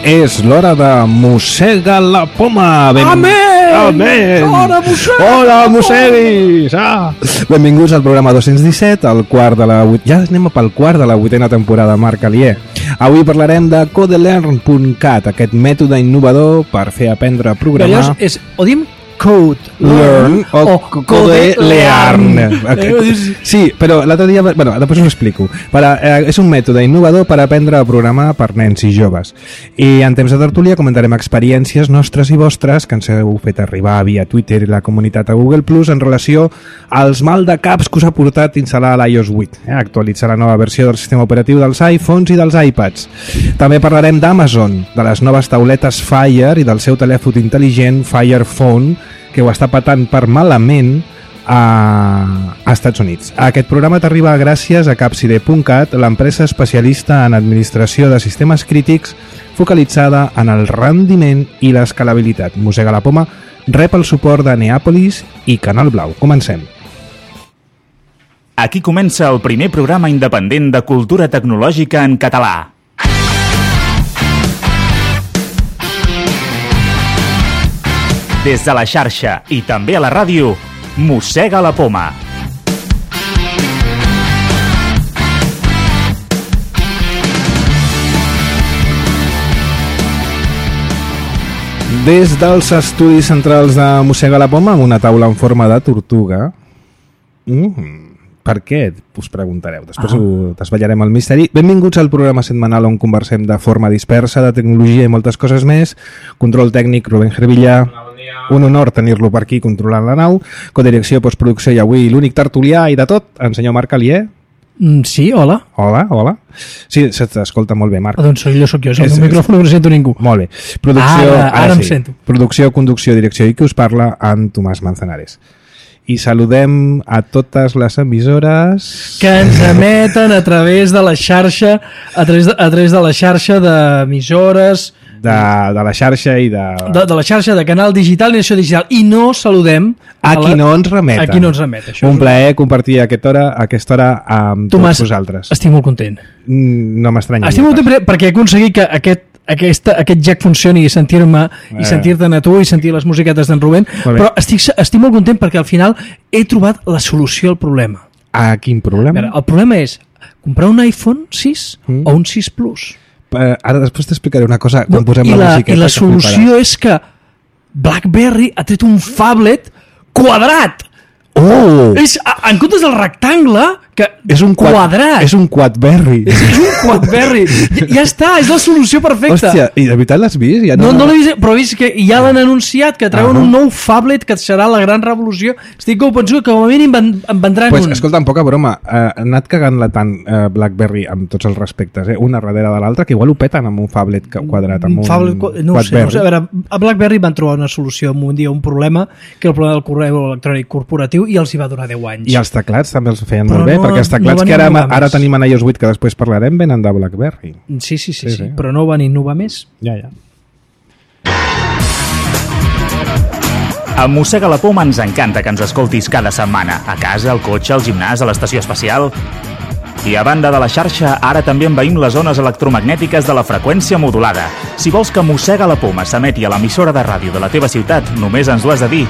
És l'hora de Mossega la Poma. Amén! Amén! Hola, mosseguis! Benvinguts al programa 217, al quart de la... Ja anem pel quart de la 8a temporada, Marc Alier. Avui parlarem de CodeLearn.cat, aquest mètode innovador per fer aprendre a programar... O diem Code Learn o CodeLearn. Sí, però l'altre dia... Bueno, després us ho explico. És un mètode innovador per aprendre a programar per nens i joves. I en temps de tertúlia comentarem experiències nostres i vostres que ens heu fet arribar via Twitter i la comunitat a Google Plus en relació als maldecaps que us ha portat instal·lar l'iOS 8, actualitzar la nova versió del sistema operatiu dels iPhones i dels iPads. També parlarem d'Amazon, de les noves tauletes Fire i del seu telèfon intel·ligent Fire Phone, que ho està patant per malament a Estats Units. Aquest programa t'arriba gràcies a Capside.cat, l'empresa especialista en administració de sistemes crítics focalitzada en el rendiment i l'escalabilitat. Mossega la Poma rep el suport de Neàpolis i Canal Blau. Comencem. Aquí comença el primer programa independent de cultura tecnològica en català. Des de la xarxa i també a la ràdio, Mossega la Poma. Des dels estudis centrals de Mossega la Poma, amb una taula en forma de tortuga. Per què? Us preguntareu. Després ho desvetllarem el misteri. Benvinguts al programa setmanal on conversem de forma dispersa, de tecnologia i moltes coses més. Control tècnic, Rubén Gervillà. Un honor tenir-lo per aquí controlant la nau. Codirecció, postproducció i avui l'únic tertulià i de tot, el senyor Marc Alier. Sí, hola. Hola. Sí, se t'escolta molt bé, Marc. Doncs soc jo, el micròfon no sento ningú. Molt bé. Producció, ara em sento. Producció, conducció, direcció i qui us parla, en Tomàs Manzanares. I saludem a totes les emissores que ens emeten a través de la xarxa, a través de la xarxa d'emissores de la xarxa i de la xarxa de Canal Digital i Nació Digital. I no saludem a qui no ens remet. Això un plaer compartir aquesta hora amb Tomàs, tots vosaltres. Estic molt content. No m'estranya. Estic molt content perquè he aconseguit que aquest jack funcioni i sentir-me i sentir-te'n a tu i sentir les musiquetes d'en Rubén, però estic molt content perquè al final he trobat la solució al problema. A quin problema? Veure, el problema és comprar un iPhone 6 o un 6 Plus. Ara després t'explicaré una cosa quan posem la musiqueta. I la solució és que BlackBerry ha tret un phablet quadrat. En comptes del rectangle, que és un quadrat. És un quadberry. És un quadberry. Ja està, és la solució perfecta. Hòstia, i de veritat l'has vist? Ja no l'he vist, però he vist que ja l'han anunciat, que treuen un nou phablet que serà la gran revolució. Estic convençut que com a mínim en vendran un. Escolta, poca broma, ha anat cagant-la tant BlackBerry amb tots els respectes, una darrere de l'altra, que igual ho peten amb un phablet quadrat, amb no ho sé. A veure, a BlackBerry van trobar una solució un dia, un problema, que era el problema del correu electrònic corporatiu, i els hi va durar 10 anys. I els teclats també els feien molt bé, perquè els teclats que ara tenim en iOS 8, que després parlarem, venen de BlackBerry. Sí, però no van innovar més. Ja. A Mossega la Poma ens encanta que ens escoltis cada setmana, a casa, al cotxe, al gimnàs, a l'estació espacial. I a banda de la xarxa, ara també envaïm les zones electromagnètiques de la freqüència modulada. Si vols que Mossega la Poma s'emeti a l'emissora de ràdio de la teva ciutat, només ens ho has de dir.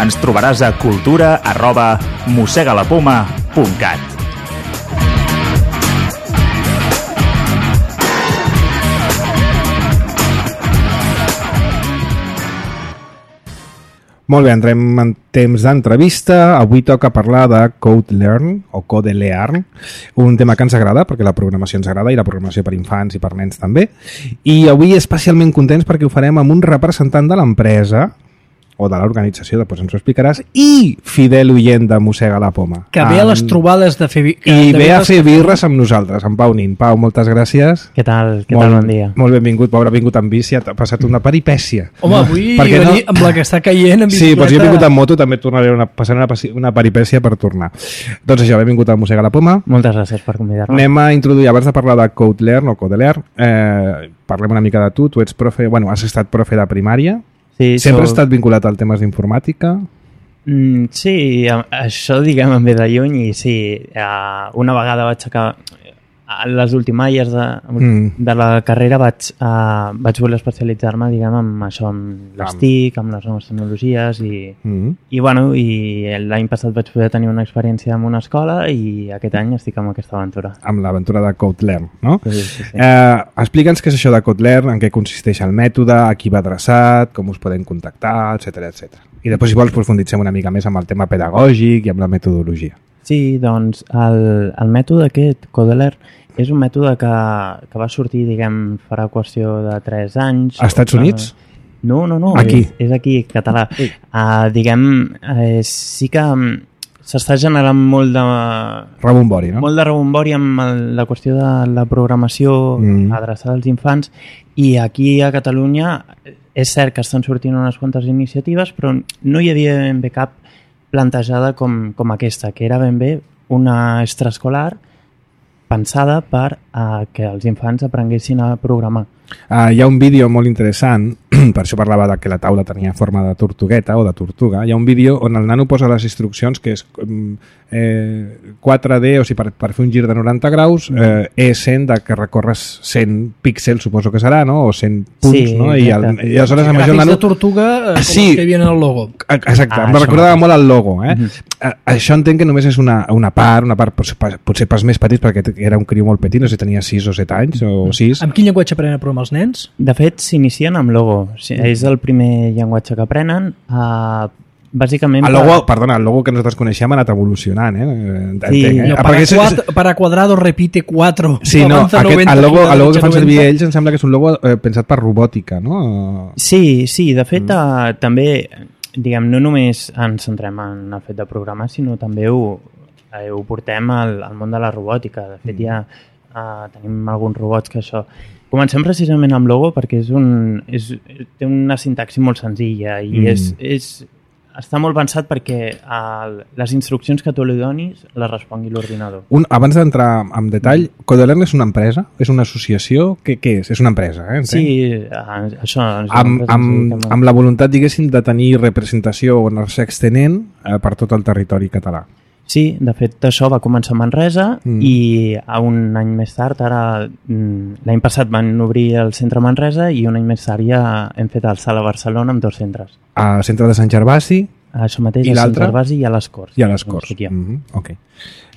Ens trobaràs a cultura@mossegalapoma.cat. Molt bé, entrem en temps d'entrevista. Avui toca parlar de CodeLearn o CodeLearn, un tema que ens agrada perquè la programació ens agrada i la programació per infants i per nens també. I avui especialment contents perquè ho farem amb un representant de l'empresa o de l'organització, després ens ho explicaràs, i fidel oient de Mossega la Poma. Que ve a les trobades de fer... I ve a fer birres amb nosaltres, en Pau Nin. Pau, moltes gràcies. Què tal? Bon dia. Molt benvingut. Pau, ha vingut amb bici, ha passat una peripècia. Home, avui venir amb la que està caient en bicicleta... Sí, però si he vingut amb moto també tornaré passant una peripècia per tornar. Doncs això, benvingut a Mossega la Poma. Moltes gràcies per convidar-me. Anem a introduir, abans de parlar de CodeLearn o CodeLearn, parlem una mica de tu. Tu ets profe, has estat profe de primària. Sí, sempre has estat vinculat als temes d'informàtica? Sí, això diguem em ve de lluny i sí, una vegada vaig acabar a les últimes de la carrera vaig voler especialitzar-me diguem en això, amb les TIC, amb les noves tecnologies i l'any passat vaig poder tenir una experiència en una escola i aquest any estic amb aquesta aventura. Amb l'aventura de CodeLearn, no? Sí. Explica'ns què és això de CodeLearn, en què consisteix el mètode, a qui va adreçat, com us podem contactar, etc. I després, si vols, profunditzem una mica més amb el tema pedagògic i amb la metodologia. Sí, doncs el mètode aquest, CodeLearn, és un mètode que va sortir, diguem, farà qüestió de 3 anys. Als Estats Units? No. Aquí? És aquí, català. Diguem, sí que s'està generant molt de... Rebombori, no? Molt de rebombori amb la qüestió de la programació adreçada als infants i aquí a Catalunya és cert que estan sortint unes quantes iniciatives, però no hi havia ben bé cap plantejada com aquesta, que era ben bé una extraescolar pensada per que els infants aprenguessin a programar. Hi ha un vídeo molt interessant, per això parlava que la taula tenia forma de tortugueta o de tortuga. Hi ha un vídeo on el nano posa les instruccions que és 4D, o sigui, per fer un gir de 90 graus, E100 de que recorres 100 píxels, suposo que serà, no? O 100 punts, sí, no? I aleshores amb això el nano... de tortuga, com sí, que hi havia en el logo. Exacte, em recordava molt el logo. Això entenc que només és una part potser pels més petits, perquè era un criu molt petit, no sé si tenia 6 o 7 anys, o 6. Amb quin llenguatge aprenen a programar els nens? De fet, s'inicien amb logo. És el primer llenguatge que aprenen. Bàsicament... El logo que nosaltres coneixem ha anat evolucionant, Sí, para cuadrado repite 4. Sí, no, el logo que fan servir ells em sembla que és un logo pensat per robòtica, no? Sí, de fet, també, diguem, no només ens centrem en el fet de programar, sinó també ho portem al món de la robòtica. De fet, ja tenim alguns robots que això... Comencem precisament amb logo perquè té una sintaxi molt senzilla i està molt pensat perquè les instruccions que tu li donis les respongui l'ordinador. Abans d'entrar en detall, CodeLearn és una empresa? És una associació? Què és? És una empresa, entenc? Sí, això... Amb la voluntat, diguéssim, de tenir representació o anar-se extenent per tot el territori català. Sí, de fet això va començar a Manresa i un any més tard, l'any passat van obrir el centre a Manresa i un any més tard ja hem fet el Sala Barcelona amb 2 centres. Al centre de Sant Gervasi? Això mateix, a Sant Gervasi i a les Corts. I a les Corts. Ok.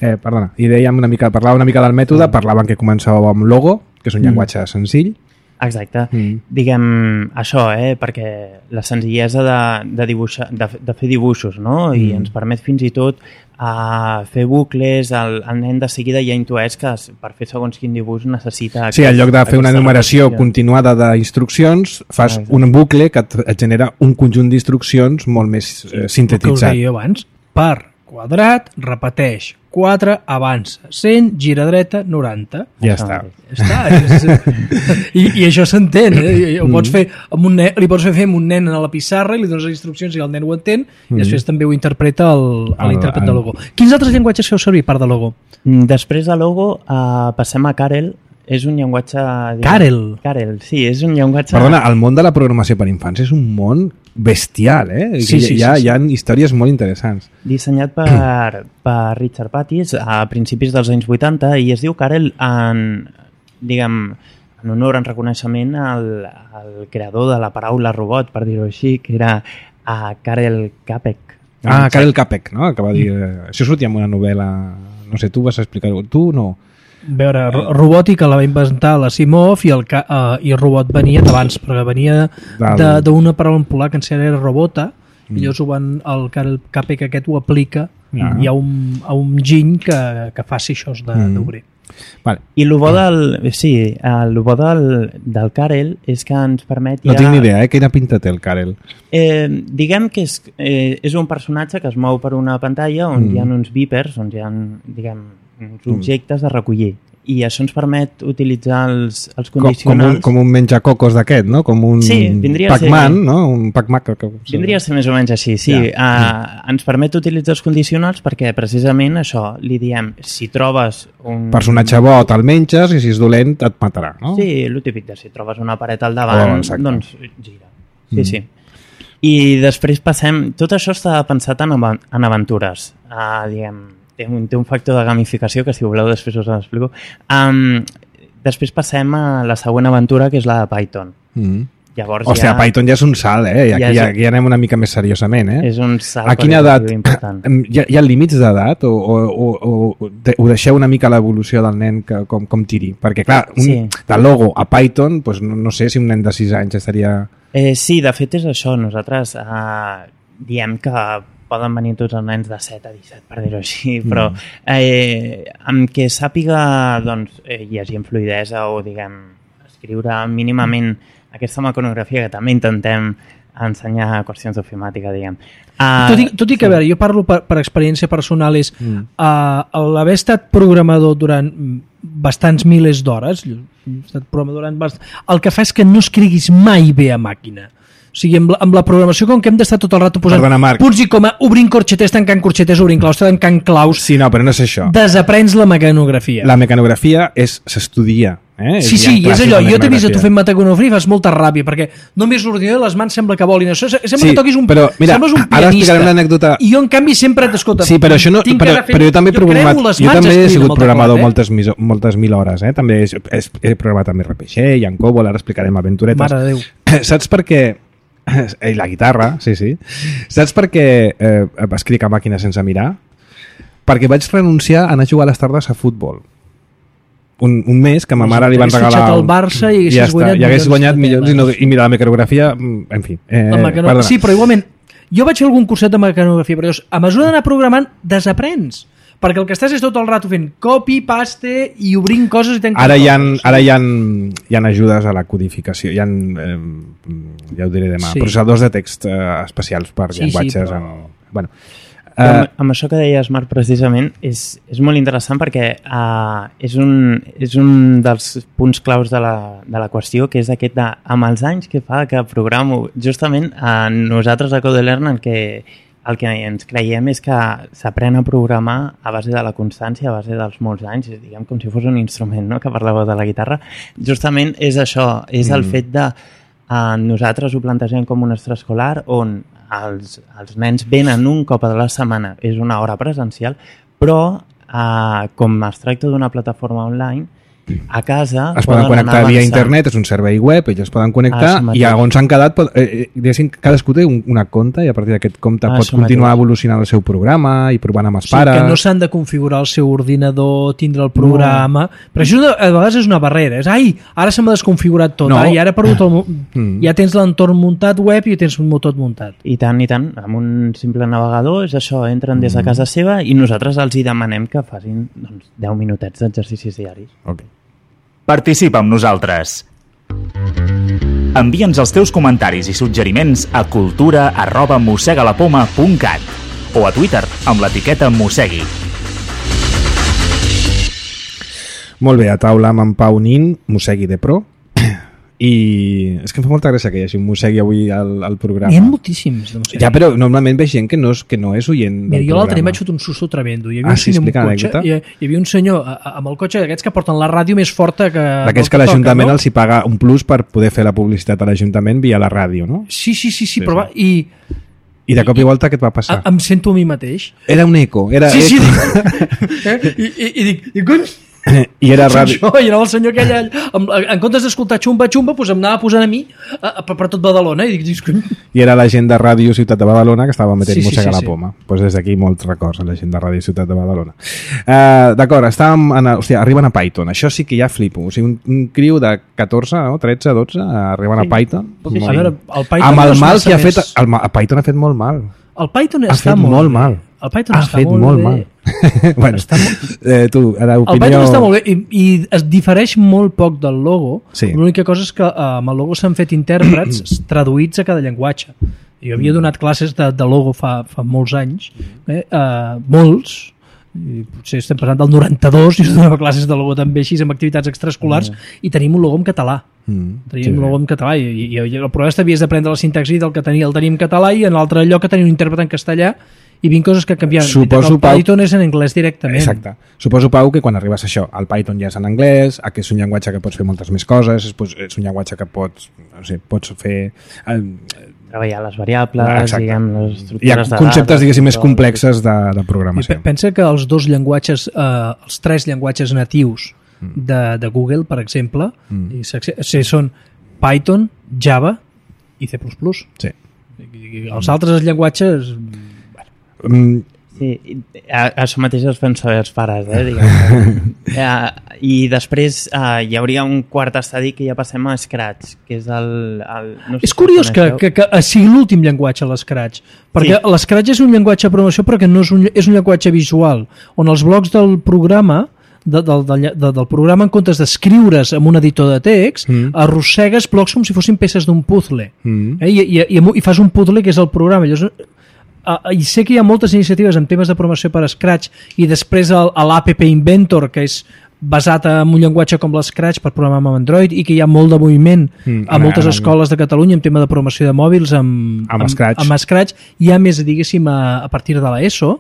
Perdona, i dèiem parlava una mica del mètode, parlaven que començàveu amb logo, que és un llenguatge senzill. Exacte. Diguem això, perquè la senzillesa de dibuixar, de fer dibuixos, no? I ens permet fins i tot fer bucles, el nen de seguida ja intueix que per fer segons quin dibuix necessita... Sí, en lloc de fer una enumeració continuada d'instruccions, fas un bucle que et genera un conjunt d'instruccions molt més sintetitzat. El que us deia abans, per quadrat, repeteix, 4, avança, 100, gira dreta, 90. Ja està. I això s'entén, ho pots fer amb un nen, li pots fer amb un nen a la pissarra i li dones les instruccions i el nen ho entén i després també ho interpreta l'intèrpret de logo. Quins altres llenguatges feu servir part de logo? Després de logo passem a Karel. És un llenguatge... Karel, sí, és un llenguatge... Perdona, el món de la programació per infants és un món bestial, Sí. Hi ha històries molt interessants. Dissenyat per Richard Pattis a principis dels anys 80 i es diu Karel en honor, en reconeixement al creador de la paraula robot, per dir-ho així, que era Karel Capek. Karel Capek, no? Que va dir... Això sortia en una novel·la... No sé, tu vas explicar-ho. Tu no... A veure, robòtica la va inventar l'Asimov i robot venia d'abans, perquè venia d'una paraula en polac que en era robota, i llavors el Karel Capek aquest ho aplica a un giny que faci això d'obrer. Vale. I el bo del Karel és que ens permet... No tinc ni idea, quina pinta té el Karel? Diguem que és un personatge que es mou per una pantalla on hi ha uns beepers, on hi ha, uns objectes a recollir. I això ens permet utilitzar els condicionals... Com un menjacocos d'aquest, no? Com un Pac-Man, no? Un Pac-Man... Vindria a ser més o menys així, sí. Ens permet utilitzar els condicionals perquè precisament això, li diem, si trobes un... Personatge bo, te'l menges i si és dolent et matarà, no? Sí, el típic de si trobes una paret al davant, doncs gira. Sí. I després passem... Tot això està pensat en aventures. Diguem, té un factor de gamificació que, si voleu, després us l'explico. Després passem a la següent aventura, que és la de Python. Llavors Hòstia, Python ja és un salt, eh? Aquí ja anem una mica més seriosament, eh? És un salt. A quina edat? Hi ha límits d'edat? O deixeu una mica l'evolució del nen com tiri? Perquè, clar, de logo a Python, doncs no sé si un nen de 6 anys estaria... Sí, de fet és això. Nosaltres diem que poden venir tots els nens de 7 a 17, per dir-ho així, però amb què sàpiga llegir amb fluïdesa o, diguem, escriure mínimament aquesta mecanografia, que també intentem ensenyar qüestions d'ofimàtica, diguem. Tot i que, a veure, jo parlo per experiència personal, és l'haver estat programador durant bastants milers d'hores, el que fa és que no escriguis mai bé a màquina. O sigui, amb la programació, com que hem d'estar tot el rato posant punts i coma, obrint corxeters, tancant corxeters, obrint claus, tancant claus... Sí, no, però no és això. Desaprens la mecanografia. La mecanografia s'estudia. Sí, i és allò. Jo t'he vist a tu fent mecanografia i fas molta ràbia, perquè només l'ordinador i les mans sembla que volin. Sembla que toquis sembles un pianista. Ara explicarem l'anècdota. I jo, en canvi, sempre t'escolta. Sí, però això no... Però jo també he sigut programador moltes mil hores, eh? També he programat amb RPG i en COBOL, ara explicarem aventuretes. Mare de Déu. Saps per què... I la guitarra, sí. Saps per què escric a màquina sense mirar? Perquè vaig renunciar a anar a jugar a les tardes a futbol. Un mes que a ma mare li van regalar... Hagués fitxat el Barça i hagués guanyat milions i mira, la mecanografia, en fi. Sí, però igualment, jo vaig fer algun curset de mecanografia, però a mesura d'anar programant, desaprens. Perquè el que estàs és tot el rato fent copy, paste i obrint coses i tancant Ara hi ha ajudes a la codificació, ja ho diré demà, processadors de text especials per llenguatges. Bueno, amb això que deies, Marc, precisament és molt interessant perquè és un dels punts claus de la qüestió, que és aquest amb els anys que fa que programo. Justament nosaltres a CodeLearn el que ens creiem és que s'aprèn a programar a base de la constància, a base dels molts anys, diguem com si fos un instrument, no?, que parlàveu de la guitarra. Justament és això, és el fet de nosaltres ho plantegem com un extraescolar on els nens venen un cop a la setmana, és una hora presencial, però com es tracta d'una plataforma online, a casa es poden connectar via internet, és un servei web, ells es poden connectar i on s'han quedat, cadascú té una compte i a partir d'aquest compte pot continuar evolucionant el seu programa i provant amb els pares. Que no s'han de configurar el seu ordinador, tindre el programa, però això a vegades és una barrera, ara se m'ha desconfigurat tot, i ara he perdut ja tens l'entorn muntat web i tens tot muntat. I tant, amb un simple navegador és això, entren des de casa seva i nosaltres els hi demanem que facin 10 minutets d'exercicis diaris. Ok. Participa amb nosaltres. Envia'ns els teus comentaris i suggeriments a cultura@mossegalapoma.cat o a Twitter amb l'etiqueta Mossegui. Molt bé, a taula amb en Pau Nin, Mossegui de Pro. I és que em fa molta gràcia que hi hagi un Mossegui avui al programa. Hi ha moltíssims de Mossegui. Ja, però normalment veig gent que no és oient del programa. Jo l'altre dia m'he fet un susto tremendo. Hi havia un senyor amb el cotxe d'aquests que porten la ràdio més forta que... D'aquells que l'Ajuntament els hi paga un plus per poder fer la publicitat a l'Ajuntament via la ràdio, no? Sí, però i de cop i volta què et va passar? Em sento a mi mateix. Era un eco. Sí. I dic, i era ràdio. I anava el senyor aquell, en comptes d'escoltar xumba, doncs em anava posant a mi per tot Badalona. I era la gent de Ràdio Ciutat de Badalona que estava metent Mossega a la poma. Doncs des d'aquí molts records a la gent de Ràdio Ciutat de Badalona. D'acord, arriben a Python. Això sí que ja flipo. O sigui, un criu de 14, 13, 12 arriben a Python. A veure, el Python amb el mal que ha fet... El Python ha fet molt mal. El Python està molt mal. El Python està molt mal. Bueno, tu, l'opinió... El Python està molt bé i es difereix molt poc del logo. L'única cosa és que amb el logo s'han fet intèrprets traduïts a cada llenguatge. Jo havia donat classes de logo fa molts anys, molts, i potser estem parlant del 92, i donava classes de logo també així amb activitats extraescolars i tenim un logo en català. Tenim un logo en català i el problema és que havies d'aprendre la sintaxi del que el tenim en català i en l'altre lloc que tenia un intèrpret en castellà i 20 coses que canviaven. El Python és en anglès directament. Exacte. Suposo, Pau, que quan arribes a això, el Python ja és en anglès, que és un llenguatge que pots fer moltes més coses, és un llenguatge que pots fer... treballar les variables, diguem, les estructures de dades. Hi ha conceptes, diguéssim, més complexes de programació. Pensa que els dos llenguatges, els tres llenguatges natius de Google, per exemple, són Python, Java i C++. Sí. Els altres llenguatges... Sí, això mateix es fan saber els pares, diguem. I després hi hauria un quart estadi que ja passem a Scratch, que és el no sé és curiós que sigui l'últim llenguatge l'Scratch, perquè l'Scratch és un llenguatge de programació però que no és un llenguatge visual, on els blocs del programa del programa, en comptes d'escriure's en un editor de text, arrossegues blocs com si fossin peces d'un puzzle. I fas un puzzle que és el programa. Llavors, i sé que hi ha moltes iniciatives en temes de programació per Scratch i després l'App Inventor, que és basat en un llenguatge com l'Scratch per programar amb Android i que hi ha molt de moviment a moltes escoles de Catalunya en tema de programació de mòbils amb Scratch. Hi ha més, diguéssim, a partir de l'ESO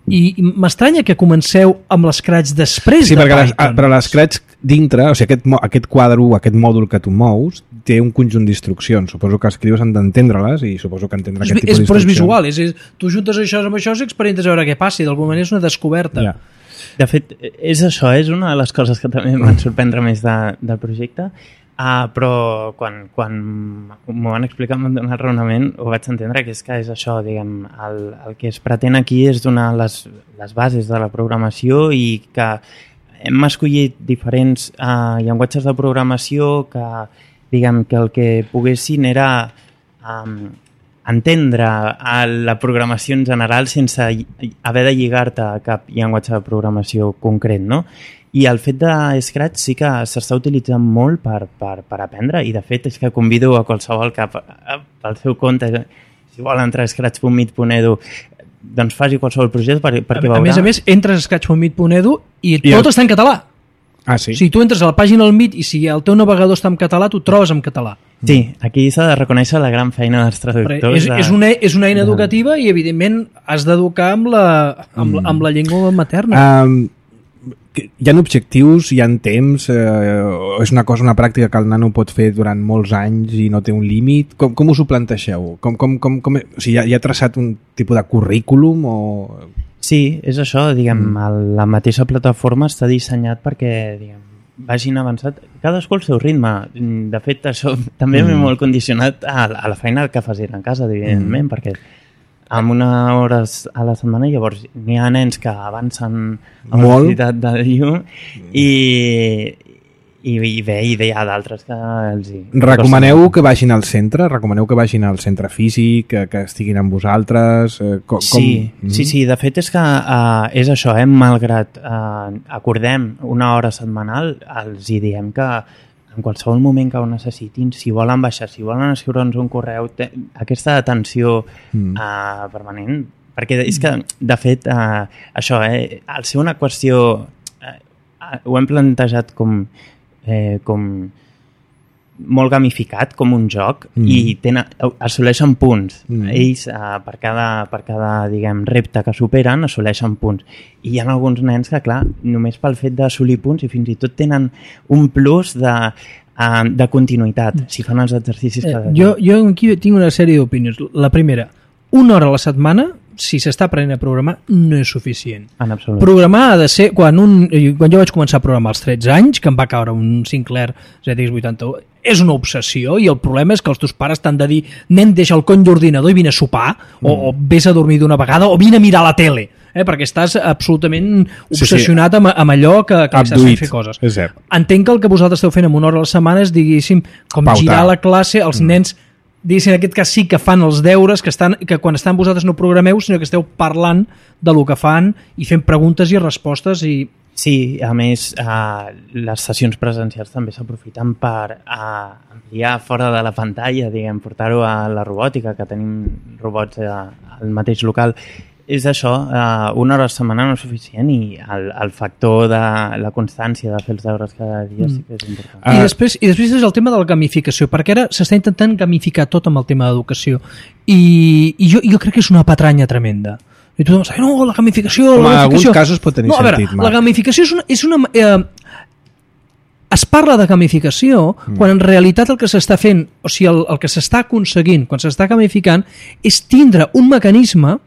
i m'estranya que comenceu amb l'Scratch després de Python. Sí, però l'Scratch dintre, o sigui, aquest quadre, aquest mòdul que tu mous, té un conjunt d'instruccions. Suposo que escrius han d'entendre-les i suposo que entendre aquest tipus d'instruccions. Però és visual, tu juntes això amb això i experimentes a veure què passi. D'alguna manera és una descoberta. De fet, és això, és una de les coses que també em van sorprendre més del projecte, però quan m'ho van explicar amb el raonament ho vaig entendre, que és això, diguem, el que es pretén aquí és donar les bases de la programació i que hem escollit diferents llenguatges de programació que, diguem, que el que poguessin era entendre la programació en general sense haver de lligar-te a cap llenguatge de programació concret, no? I el fet de Scratch sí que s'està utilitzant molt per aprendre i de fet és que convido a qualsevol que pel seu compte, si vol entrar a scratch.meet.edu, doncs faci qualsevol projecte perquè veurà... A més, entres a scratch.meet.edu i tot està en català. Sí? Si tu entres a la pàgina del Meet i si el teu navegador està en català, tu trobes en català. Sí, aquí s'ha de reconèixer la gran feina dels traductors. És una eina educativa i, evidentment, has d'educar amb la llengua materna. Hi ha objectius, hi ha temps, és una pràctica que el nano pot fer durant molts anys i no té un límit. Com us ho planteixeu? O sigui, hi ha traçat un tipus de currículum o... Sí, és això, diguem, la mateixa plataforma està dissenyat perquè, diguem, vagin avançat, cadascú al seu ritme. De fet, això també m'he molt condicionat a la feina que fas en casa, evidentment, perquè amb una hora a la setmana llavors n'hi ha nens que avancen a la velocitat de llum i hi ha d'altres que els hi... Recomaneu que vagin al centre? Recomaneu que vagin al centre físic, que estiguin amb vosaltres? Sí, de fet és que és això, malgrat acordem una hora setmanal, els hi diem que en qualsevol moment que ho necessitin, si volen baixar, si volen escriure'ns un correu, aquesta atenció permanent, perquè és que, de fet, això, al ser una qüestió, ho hem plantejat com molt gamificat, com un joc, i assoleixen punts. Ells, per cada diguem, repte que superen, assoleixen punts. I hi ha alguns nens que, clar, només pel fet d'assolir punts i fins i tot tenen un plus de continuïtat, si fan els exercicis cada dia. Jo aquí tinc una sèrie d'opinions. La primera, una hora a la setmana, si s'està aprenent a programar, no és suficient. En absolut. Programar ha de ser... Quan jo vaig començar a programar als 13 anys, que em va caure un Sinclair ZX81, és una obsessió i el problema és que els teus pares t'han de dir nen, deixa el cony d'ordinador i vine a sopar o vés a dormir d'una vegada o vine a mirar la tele, perquè estàs absolutament obsessionat amb allò que estàs fent fer coses. Entenc que el que vosaltres esteu fent en una hora a la setmana és, diguéssim, com girar la classe, els nens diguéssim, en aquest cas sí que fan els deures, que quan estan vosaltres no programeu, sinó que esteu parlant de lo que fan i fent preguntes i respostes. Sí, a més, les sessions presencials també s'aprofiten per ampliar fora de la pantalla, diguem, portar-ho a la robòtica, que tenim robots al mateix local. És això, una hora a la setmana no és suficient i el factor de la constància de fer els deures cada dia sí que és important. I després és el tema de la gamificació, perquè ara s'està intentant gamificar tot amb el tema d'educació i jo crec que és una patranya tremenda. I tothom diu, no, la gamificació... En alguns casos pot tenir sentit. La gamificació és una es parla de gamificació quan en realitat el que s'està fent, o sigui, el que s'està aconseguint quan s'està gamificant és tindre un mecanisme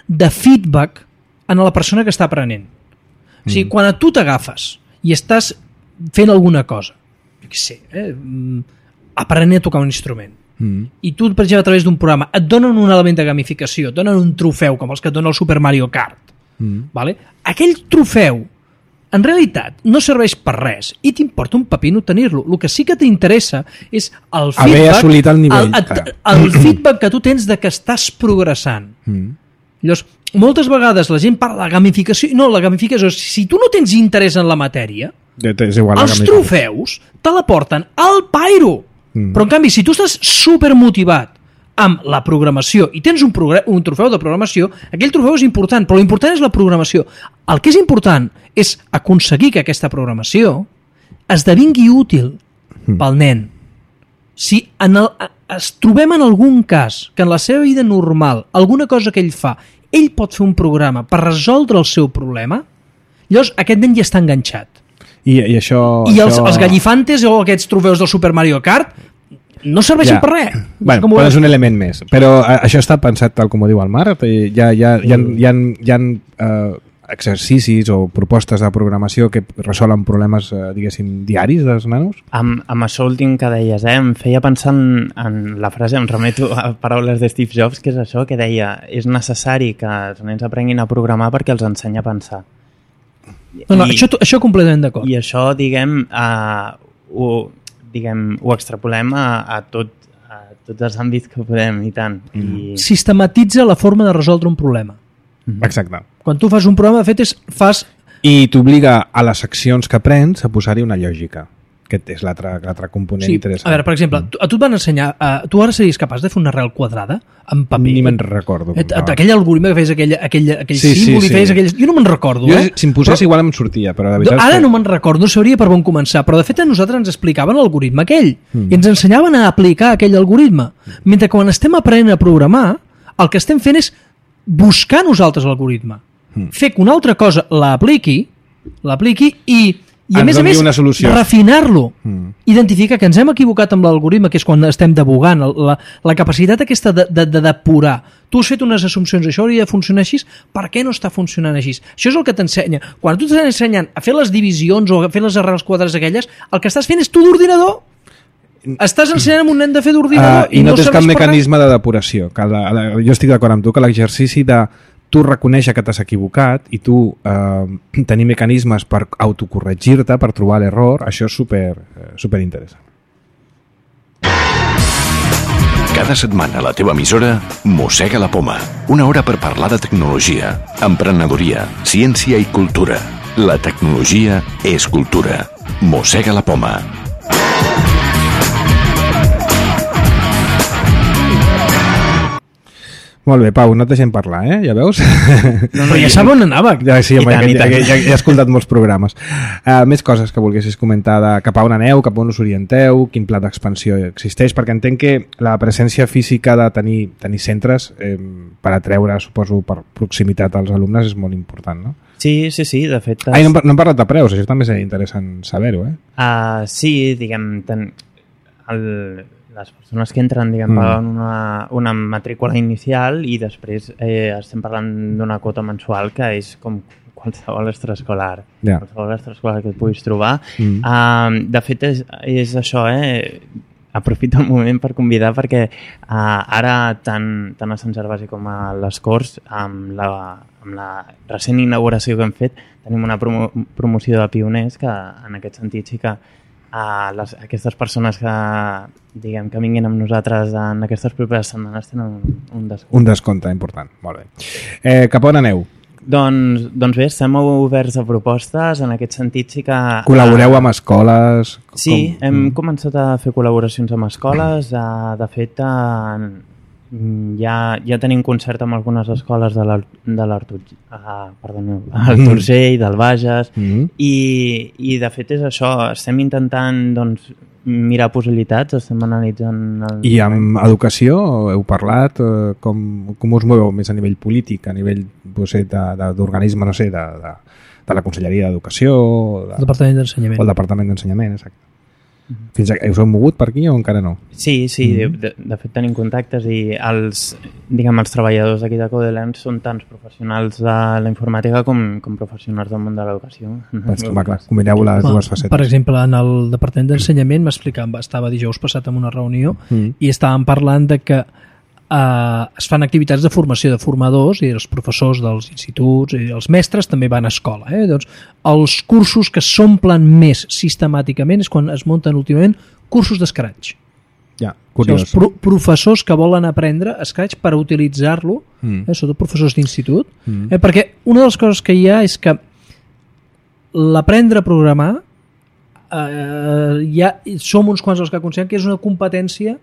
de feedback en la persona que està aprenent. O sigui, quan a tu t'agafes i estàs fent alguna cosa, jo què sé, aprenent a tocar un instrument, i tu, per exemple, a través d'un programa et donen un element de gamificació, et donen un trofeu com els que et dona el Super Mario Kart, vale? Aquell trofeu en realitat no serveix per res i t'importa un pepino tenir-lo. El que sí que t'interessa és el feedback, haver assolit el nivell. El feedback que tu tens de que estàs progressant. Llavors, moltes vegades la gent parla de gamificació. No, la gamificació, si tu no tens interès en la matèria, els trofeus te la porten al pairo. Però en canvi, si tu estàs supermotivat amb la programació i tens un trofeu de programació, aquell trofeu és important, però l'important és la programació. El que és important és aconseguir que aquesta programació esdevingui útil pel nen. Si es trobem en algun cas que en la seva vida normal, alguna cosa que ell fa, ell pot fer un programa per resoldre el seu problema, llavors aquest nen ja està enganxat. I els gallifantes o aquests trofeus del Super Mario Kart no serveixen per res. Bueno, però és un element més. Però això està pensat tal com ho diu el Marc. Hi ha exercicis o propostes de programació que resolen problemes, diguéssim, diaris dels nanos? Amb això últim que deies, em feia pensar en la frase, em remeto a paraules de Steve Jobs, que és això que deia, és necessari que els nens aprenguin a programar perquè els ensenya a pensar. Això completament d'acord. I això, ho extrapolem a tots els àmbits que podem, i tant. Sistematitza la forma de resoldre un problema. Exacte. Quan tu fas un programa, de fet, I t'obliga a les accions que prens a posar-hi una lògica. Aquest és l'altre component interessant. A veure, per exemple, a tu et van ensenyar... tu ara series capaç de fer una arrel quadrada amb paper? Ni me'n recordo. Aquell algoritme que feies aquell símbol i feies aquell... Jo no me'n recordo, Si em posés igual em sortia, però la veritat ara no me'n recordo, no sabria per on començar, però de fet a nosaltres ens explicaven l'algoritme aquell i ens ensenyaven a aplicar aquell algoritme. Mentre que quan estem aprenent a programar, el que estem fent és buscar nosaltres l'algoritme. Fer que una altra cosa l'apliqui i a més, refinar-lo, identificar que ens hem equivocat amb l'algoritme, que és quan estem debugant, la capacitat aquesta de depurar. Tu has fet unes assumpcions, això hauria de funcionar així, per què no està funcionant així? Això és el que t'ensenya. Quan tu t'estàs ensenyant a fer les divisions o a fer les arrels quadrades aquelles, el que estàs fent és tu d'ordinador. Estàs ensenyant a un nen de fer d'ordinador i no tens cap mecanisme de depuració. Jo estic d'acord amb tu que l'exercici de tu reconèixer que t'has equivocat i tu tenir mecanismes per autocorregir-te, per trobar l'error, això és super interessant. Cada setmana a la teva emissora Mossega la Poma. Una hora per parlar de tecnologia, emprenedoria, ciència i cultura. La tecnologia és cultura. Mossega la Poma. Molt bé, Pau, no et deixem parlar, ja veus? Però ja sap on anava. Sí, home, ja he escoltat molts programes. Més coses que volguessis comentar de cap a on aneu, cap a on us orienteu, quin pla d'expansió existeix, perquè entenc que la presència física de tenir centres per atreure, suposo, per proximitat als alumnes és molt important, no? Sí, de fet... No hem parlat de preus, això també és interessant saber-ho, Sí, diguem... Les persones que entren, paguen una matrícula inicial i després estem parlant d'una quota mensual que és com qualsevol extraescolar. Qualsevol extraescolar que et puguis trobar. De fet, és això, aprofito el moment per convidar perquè ara tant a Sant Gervasi com a les Corts, amb la recent inauguració que hem fet, tenim una promoció de pioners que en aquest sentit sí que aquestes persones que vinguin amb nosaltres en aquestes properes setmanes tenen un descompte. Un descompte important, molt bé. Cap on aneu? Doncs bé, estem oberts a propostes, en aquest sentit sí que... Col·laboreu amb escoles? Sí, hem començat a fer col·laboracions amb escoles, de fet ja tenim concert amb algunes escoles al Torcell, del Bages, i de fet és això, estem intentant mirar possibilitats, estem analitzant... I amb educació heu parlat? Com us moveu més a nivell polític, a nivell d'organisme, no sé, de la Conselleria d'Educació? El Departament d'Ensenyament. O el Departament d'Ensenyament, exacte. Fins a, us heu mogut per aquí o encara no? Sí, de fet tenim contactes i els treballadors d'aquí de Codelern són tants professionals de la informàtica com professionals del món de l'educació. Clar, combineu les dues facetes. Per exemple, en el Departament d'Ensenyament estava dijous passat en una reunió i estàvem parlant de que es fan activitats de formació de formadors i els professors dels instituts i els mestres també van a escola. Doncs els cursos que s'omplen més sistemàticament és quan es munten últimament cursos d'Scratch. Ja, curiós. O sigui, els professors que volen aprendre Scratch per utilitzar-lo, sobretot professors d'institut, perquè una de les coses que hi ha és que l'aprendre a programar som uns quants els que considerem que és una competència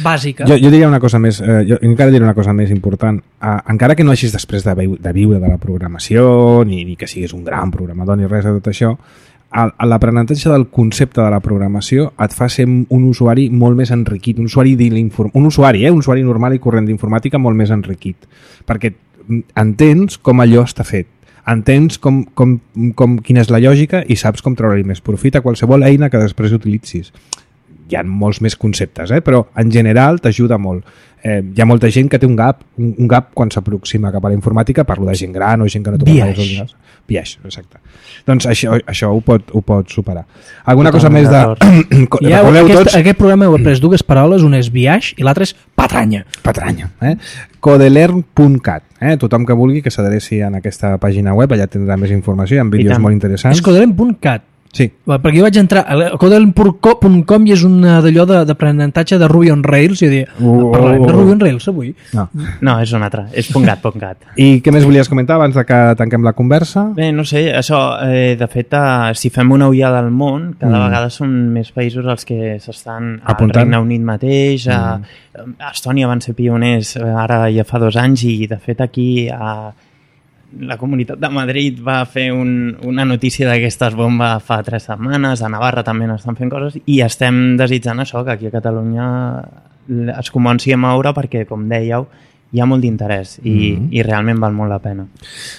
bàsica. Jo diria una cosa més, jo encara diré una cosa més important. Encara que no hagis després de viure de la programació, ni que siguis un gran programador ni res de tot això, l'aprenentatge del concepte de la programació et fa ser un usuari molt més enriquit, un usuari normal i corrent d'informàtica molt més enriquit, perquè entens com allò està fet, entens quina és la lògica i saps com treure-hi més profit a qualsevol eina que després utilitzis. Hi ha molts més conceptes, però en general t'ajuda molt. Hi ha molta gent que té un gap quan s'aproxima cap a la informàtica, parlo de gent gran o gent que no toca els ordinadors. Biaix, exacte. Doncs això ho pot superar. Alguna cosa més de... Aquest programa heu après dues paraules, una és biaix i l'altra és patranya. Patranya. Codelern.cat. Tothom que vulgui que s'adreci en aquesta pàgina web, allà tindrà més informació, hi ha vídeos molt interessants. És codelern.cat. Sí. Perquè jo vaig entrar a codelern.com i és una d'allò d'aprenentatge de Ruby on Rails i dir, parlarem de Ruby on Rails avui? No, és una altra, és .cat. I què més volies comentar abans de que tanquem la conversa? Bé, no sé, això, de fet, si fem una ullada al món, cada vegada són més països els que s'estan al Regne Unit mateix, a Estònia van ser pioners ara ja fa 2 anys i de fet aquí la Comunitat de Madrid va fer una notícia d'aquestes bombes fa 3 setmanes, a Navarra també n'estan fent coses i estem desitjant això, que aquí a Catalunya es comenci a moure perquè, com dèieu, hi ha molt d'interès i realment val molt la pena.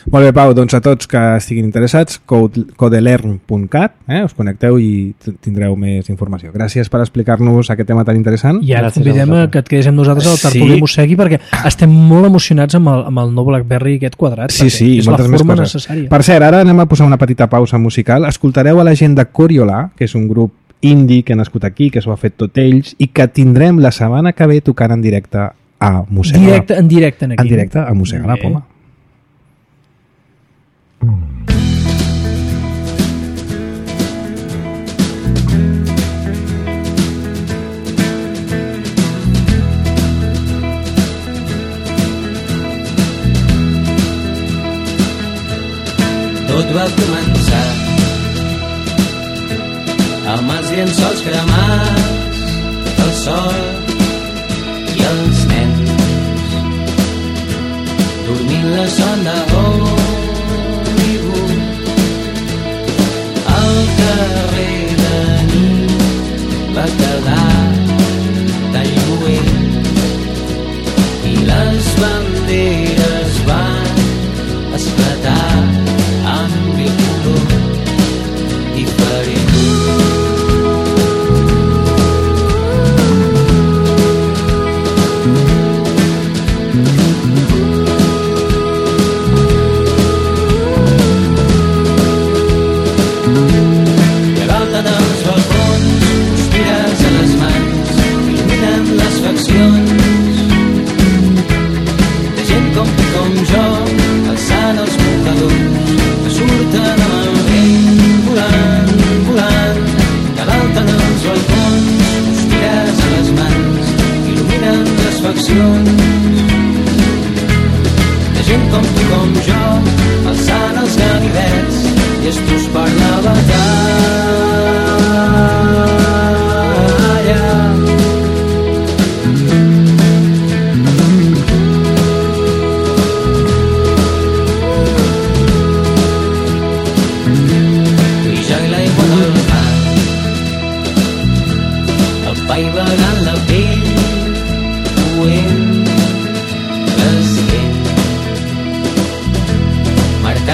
Molt bé, Pau, doncs a tots que estiguin interessats, codelern.cat, us connecteu i tindreu més informació. Gràcies per explicar-nos aquest tema tan interessant. I ara convidem que et quedés amb nosaltres al Tertulí Mossegui perquè estem molt emocionats amb el nou BlackBerry aquest quadrat. Sí, és la forma necessària. Per cert, ara anem a posar una petita pausa musical. Escoltareu a la gent de Coriolà, que és un grup indie que ha nascut aquí, que s'ho ha fet tot ells i que tindrem la setmana que ve tocant en directe a Mossega. En directe aquí. En directe a Mossega la Poma. Tot va començar amb els llençols cremats, el sol i els nens dormint la son de Hollywood. El carrer de nit va quedar tan lluent i les banderes van esclatar amb mil colors diferents.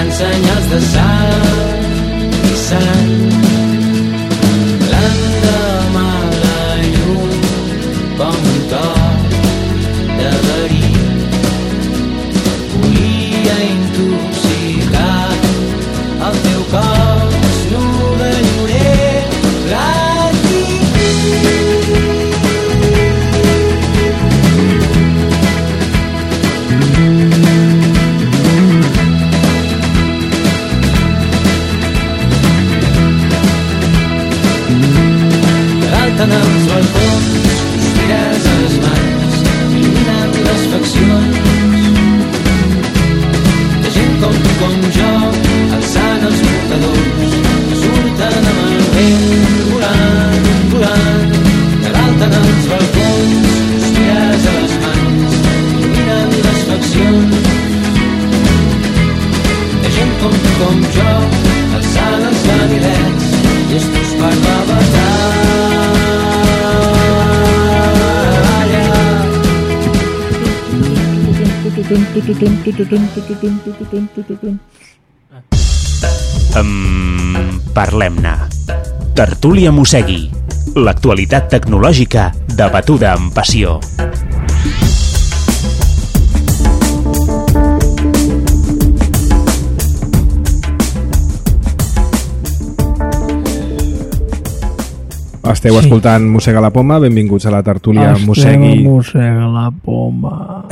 grans senyals de sang i sang. L'endemà la llum com un toc de verí volia intoxicar el teu cos nu de llorer en els balcons, sospires a les mans, il·luminant les faccions de gent com tu, com jo, alçant els mocadors que surten amb el vent volant, volant. De dalt en els balcons, sospires a les mans, il·luminant les faccions de gent com tu, com jo, alçant els ganivets llestos per la batalla. Parlem-ne. Tertúlia Mossegui. L'actualitat tecnològica debatuda amb passió. Esteu escoltant Mossega la Poma, benvinguts a la tertúlia Mossegui. Mossega la Poma.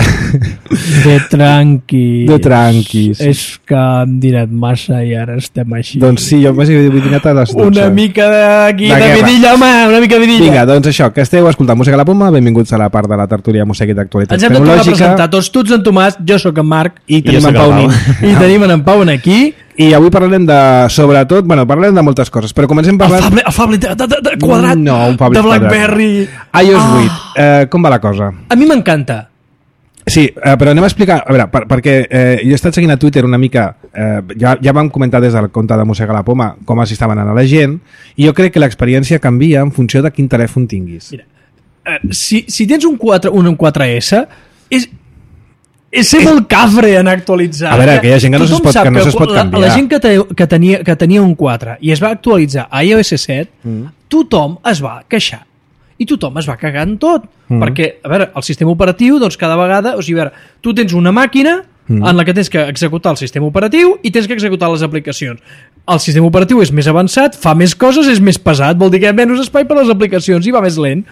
De tranquis. De tranquis. És que hem dinat massa i ara estem així. Doncs sí, jo m'he dinat a les 12. Una mica d'aquí, de vidilla, home, una mica de vidilla. Vinga, doncs això, que esteu escoltant Mossega la Poma, benvinguts a la part de la tertúlia Mossegui d'actualitat tecnològica. Ens hem de tornar a presentar tots, tu ets en Tomàs, jo sóc en Marc i tenim en Pau Nin. I tenim en Pau aquí. I avui parlarem de, sobretot, bueno, parlarem de moltes coses, però comencem parlant... El Fable de quadrat, no, un Fable de BlackBerry... iOS 8, com va la cosa? A mi m'encanta. Sí, però anem a explicar, a veure, perquè jo he estat seguint a Twitter una mica, ja vam comentar des del compte de Mossega la Poma com s'hi estaven anant a la gent, i jo crec que l'experiència canvia en funció de quin telèfon tinguis. Mira, si tens un 4S, és ser molt cafre en actualitzar. A veure, que hi ha gent que no es pot canviar. La gent que tenia un 4 i es va actualitzar a iOS 7, tothom es va queixar. I tothom es va cagar en tot. Perquè, a veure, el sistema operatiu, doncs cada vegada... O sigui, a veure, tu tens una màquina en la que tens que executar el sistema operatiu i tens que executar les aplicacions. El sistema operatiu és més avançat, fa més coses, és més pesat, vol dir que hi ha menys espai per a les aplicacions i va més lent.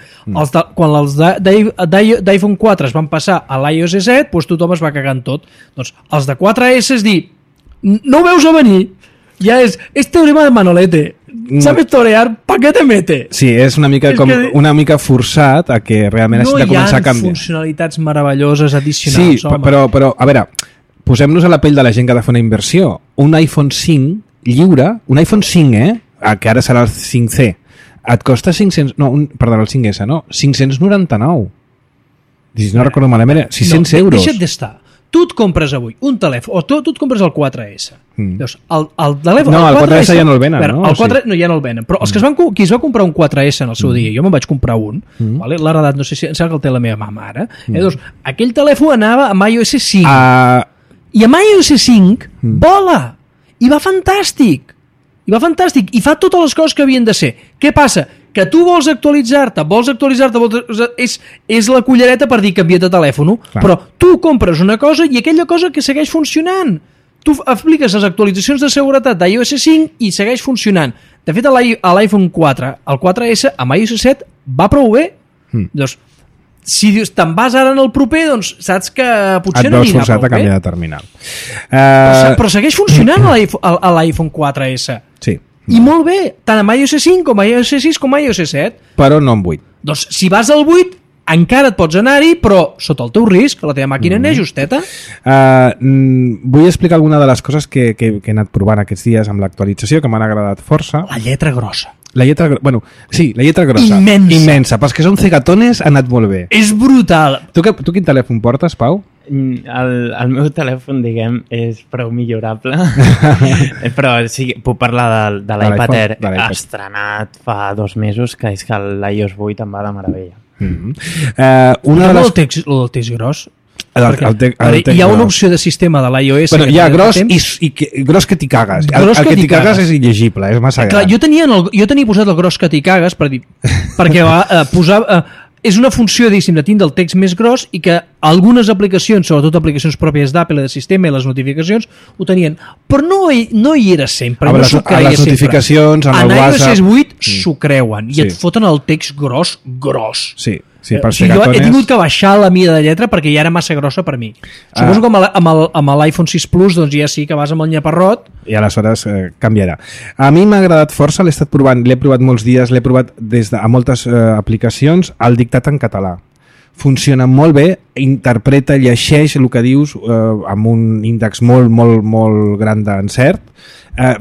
Quan els d'iPhone 4 es van passar a l'iOS 7, doncs tothom es va cagar en tot. Doncs els de 4S és dir, no ho veus a venir, ja és teorema de Manolete. ¿Sabes torear? ¿Pa qué te mete? Sí, és una mica una mica forçat a que realment hagi de començar a canviar. No hi ha funcionalitats meravelloses addicionals, home. Però, a veure, posem-nos a la pell de la gent que ha de fer una inversió. Un iPhone 5 lliure, un iPhone 5, que ara serà el 5C, et costa 500... No, perdó, el 5S, no? 599. No recordo malament, 600 euros. Deixa't d'estar. Tu et compres avui un telèfon, o tu et compres el 4S. Llavors, el telèfon... No, el 4S ja no el venen, no? El 4 ja no el venen, però els que qui es va comprar un 4S en el seu dia, jo me'n vaig comprar un, l'ha heredat, no sé si em sembla que el té la meva mama ara, doncs aquell telèfon anava amb iOS 5, i amb iOS 5 vola, i va fantàstic, i fa totes les coses que havien de ser. Què passa? Que tu vols actualitzar-te, és la cullereta per dir canvia't de telèfon, però tu compres una cosa i aquella cosa que segueix funcionant. Tu apliques les actualitzacions de seguretat d'iOS 5 i segueix funcionant. De fet, a l'iPhone 4, el 4S, amb iOS 7, va prou bé. Doncs, si dius, te'n vas ara en el proper, doncs saps que potser no anirà prou bé. Et veus forçat a canviar de terminal. Però segueix funcionant a l'iPhone 4S. Sí. I molt bé, tant amb iOS 5 com iOS 6 com iOS 7. Però no amb 8. Doncs si vas al 8, encara et pots anar-hi, però sota el teu risc, la teva màquina n'és justeta. Vull explicar alguna de les coses que he anat provant aquests dies amb l'actualització, que m'han agradat força. La lletra grossa. La lletra grossa. Immensa. Pels que són cegatones ha anat molt bé. És brutal. Tu quin telèfon portes, Pau? El meu telèfon, diguem, és prou millorable, però sí, puc parlar de l'iPad Air, estrenat fa 2 mesos, que és que l'iOS 8 em va de meravella. El del text gros? Hi ha una opció de sistema de l'iOS... Bueno, hi ha gros gros que t'hi cagues. El que t'hi cagues és il·legible, és massa gran. Jo tenia posat el gros que t'hi cagues perquè posava... És una funció, diguéssim, de tindre el text més gros i que algunes aplicacions, sobretot aplicacions pròpies d'Apple, de sistema i les notificacions, ho tenien. Però no hi era sempre, no s'ho creia sempre. A les notificacions, en el WhatsApp... En iOS 8 s'ho creuen i et foten el text gros. Sí, per jo he tingut que baixar la mida de lletra perquè ja era massa grossa per mi. Suposo que amb l'iPhone 6 Plus doncs ja sí que vas amb el nyaparrot i aleshores canviarà. A mi m'ha agradat força, l'he estat provant, l'he provat molts dies, l'he provat a moltes aplicacions, el dictat en català. Funciona molt bé, interpreta, llegeix el que dius amb un índex molt, molt, molt gran d'encert.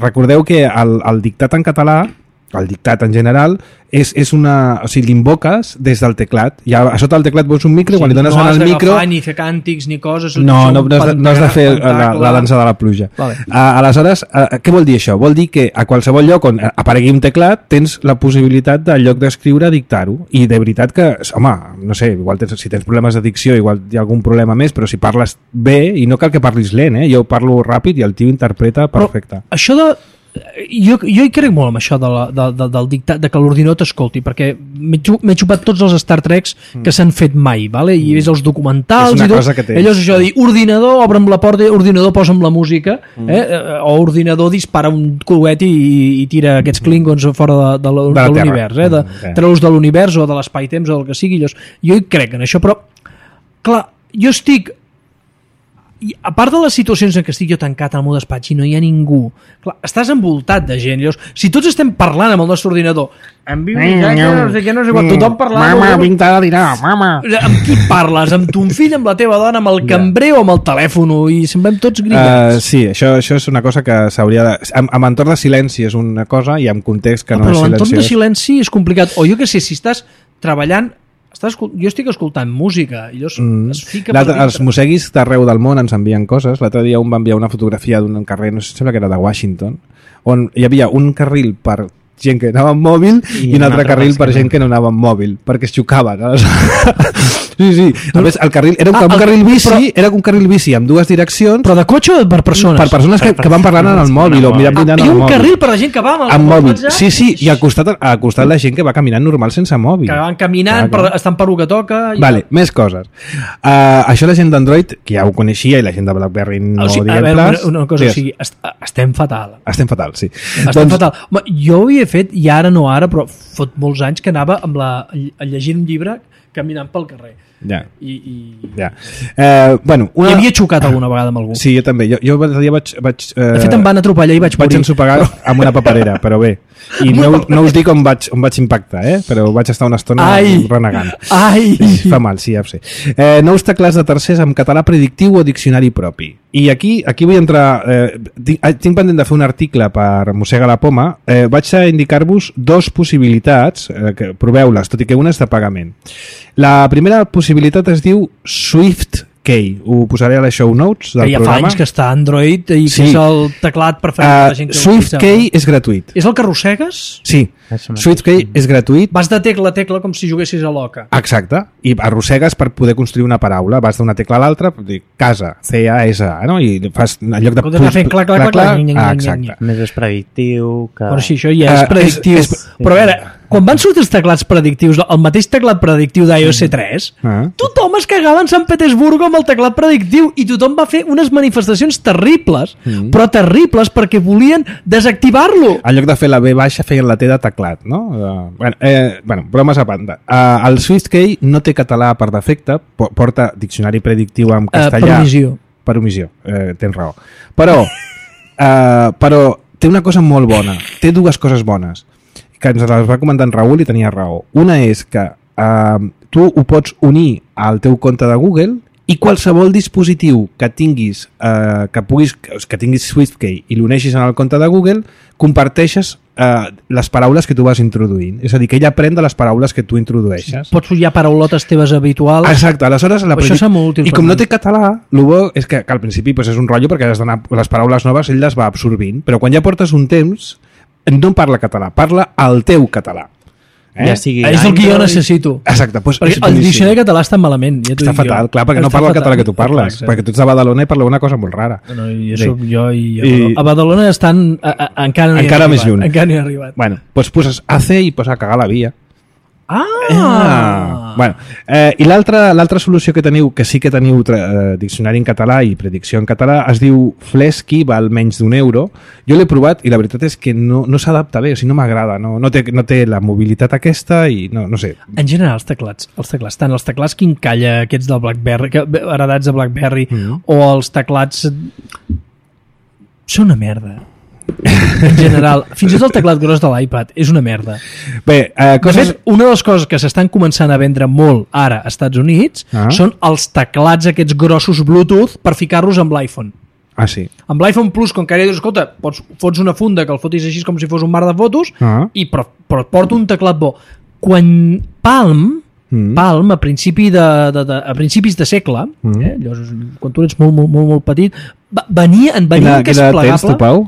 Recordeu que el dictat en català, el dictat en general, és una... O sigui, l'invoques des del teclat. Ja, a sota del teclat veus un micro, quan li dones al micro... No has ni fer càntics ni coses... No has de fer la dansa de la pluja. Vale. Aleshores, què vol dir això? Vol dir que a qualsevol lloc on aparegui un teclat tens la possibilitat de, en lloc d'escriure, dictar-ho. I de veritat que, home, no sé, igual si tens problemes d'addicció, igual hi ha algun problema més, però si parles bé, i no cal que parlis lent, jo parlo ràpid i el tio interpreta perfecte. Però això de... Jo hi crec molt amb això del dictat, de que l'ordinador t'escolti, perquè m'he xupat tots els Star Treks que s'han fet mai, vale? I ves els documentals i tot, allò és això de dir, ordinador, obre'm la porta, ordinador, posa'm la música, o ordinador dispara un coet i tira aquests klingons fora de l'univers, treu-los de l'univers o de l'espai-temps o del que sigui. Jo hi crec en això, però clar, jo estic... I a part de les situacions en què estic jo tancat al meu despatx i no hi ha ningú, clar, estàs envoltat de gent. Llavors, si tots estem parlant amb el nostre ordinador, amb tothom parlant... Mama, pinta de dinar, mama. Amb qui parles? Amb ton fill, amb la teva dona, amb el cambrer o amb el telèfon? I semblem tots grillats. Sí, això és una cosa que s'hauria de... Amb entorn de silenci és una cosa i amb context que no és silenciós. Però l'entorn de silenci és complicat. O jo què sé, si estàs treballant... Jo estic escoltant música i es fica els mosseguis d'arreu del món ens envien coses. L'altre dia un va enviar una fotografia d'un carrer, no sé, sembla que era de Washington, on hi havia un carril per gent que anava amb mòbil i un altre carril per gent que no anava amb mòbil perquè es xocaven. Sí. A més, el carril era un carril bici, era un carril bici amb dues direccions. Però de cotxe o per persones? Per persones que van parlant en el mòbil o mirant en el mòbil. Hi ha un carril per la gent que va amb mòbil. Sí, i al costat la gent que va caminant normal sense mòbil. Que van caminant, estan per lo que toca... Vale, més coses. Això la gent d'Android, que ja ho coneixia, i la gent de BlackBerry no diguem ples... Una cosa, o sigui, estem fatal. Estem fatal, sí. Estem fatal. Jo ho havia fet, i ara no ara, però fot molts anys que anava llegint un llibre caminant pel carrer. Ja. Bueno, I havia xocat alguna vegada amb algú. Sí, jo també. Jo l'altre dia vaig de fet em van atropellar i vaig morir. Vaig ensopegar amb una paperera, però bé. I no us dic on vaig impactar, però vaig estar una estona renegant. Fa mal, sí, ja ho sé. Nous teclats de tercers amb català predictiu o diccionari propi. I aquí vull entrar... tinc pendent de fer un article per Mossega la Poma. Vaig a indicar-vos dos possibilitats, que proveu-les, tot i que una és de pagament. La primera possibilitat es diu SwiftKey. Ho posaré a les show notes del programa. Ja fa anys que està Android i que és el teclat preferit de la gent que SwiftKey és gratuït. És el que arrossegues? Sí. SwiftKey és gratuït. Vas de tecla a tecla com si juguessis a l'oca. Exacte. I arrossegues per poder construir una paraula. Vas d'una tecla a l'altra, casa, C-A-S-A, no? I fas en lloc de... Exacte. Més és predictiu que... Però sí, això ja és predictiu. Però a veure, quan van sortir els teclats predictius, el mateix teclat predictiu d'iOS 3, tothom es cagava en Sant Petersburgo amb el teclat predictiu i tothom va fer unes manifestacions terribles, però terribles perquè volien desactivar-lo. En lloc de fer la B baixa, feien la T de teclat, no? Bueno, bromes a banda. El SwiftKey no té català per defecte, porta diccionari predictiu en castellà. Per omissió. Tens raó. Però té una cosa molt bona. Té dues coses bones que ens les va comentar en Raül i tenia raó. Una és que tu ho pots unir al teu compte de Google i qualsevol dispositiu que tinguis que tinguis SwiftKey i l'uneixis en el compte de Google, comparteixes les paraules que tu vas introduint. És a dir, que ella aprèn de les paraules que tu introdueixes. Pots follar paraulotes teves habituals. Exacte, aleshores... I com no té català, el bo és que al principi és un rotllo perquè has d'anar les paraules noves, ell les va absorbint, però quan ja portes un temps no parla català, parla el teu català. Ja sigui és el que jo Android. necessito. Exacte, doncs Perquè el diccionari català està malament. Ja està fatal, clar, perquè no parla el català que tu parles, perquè tu ets de Badalona i parla una cosa molt rara. No, i soc jo i a Badalona estan encara no hi encara més arribat, lluny. encara no hi ha arribat. Bueno, doncs poses hace i posa cagar la via. Bueno, i l'altra solució que teniu, que sí que teniu diccionari en català i predicció en català, es diu Flesky, val menys d'€1. Jo l'he provat i la veritat és que no s'adapta bé, o sigui, no m'agrada, no té la mobilitat aquesta i no sé. En general, els teclats, tant els teclats Quincalla, aquests del BlackBerry, heredats de BlackBerry, o els teclats... són una merda. En general, fins i tot el teclat gros de l'iPad és una merda. Bé, coses... una de les coses que s'estan començant a vendre molt ara als Estats Units són els teclats aquests grossos Bluetooth per ficar-los amb l'iPhone. Ah, sí. Amb l'iPhone Plus, com que ara dius, escolta, fots una funda que el fotis així com si fos un mar de fotos, però et porta un teclat bo. Quan Palm, a principis de segle, llavors, quan tu ets molt petit, venia un que és plegable. Tens tu, Pau?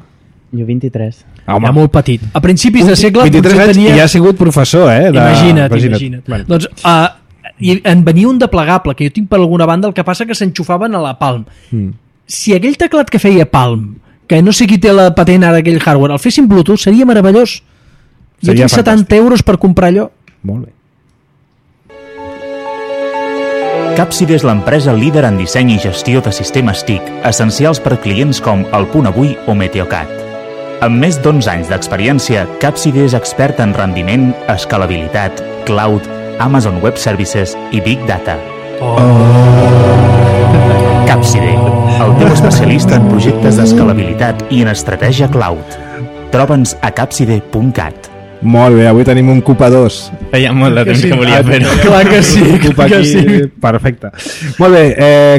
Jo 23. Era molt petit. A principis de segle... 23 anys tenia... i ja ha sigut professor, Imagina't. Bueno. Doncs en venia un de plegable, que jo tinc per alguna banda, el que passa que s'enxufaven a la Palm. Si aquell teclat que feia Palm, que no sé qui té la patent ara d'aquell hardware, el fessin Bluetooth, seria meravellós. Jo tinc 70 euros per comprar allò. Molt bé. Capside és l'empresa líder en disseny i gestió de sistemes TIC, essencials per clients com El Punt Avui o Meteocat. Amb més d'11 anys d'experiència, Capside és expert en rendiment, escalabilitat, cloud, Amazon Web Services i Big Data. Capside, el teu especialista en projectes d'escalabilitat i en estratègia cloud. Troba'ns a capside.cat. Molt bé, avui tenim un CUPA 2. Feia molt de temps que volia fer-ho. Clar que sí, que sí. Perfecte. Molt bé,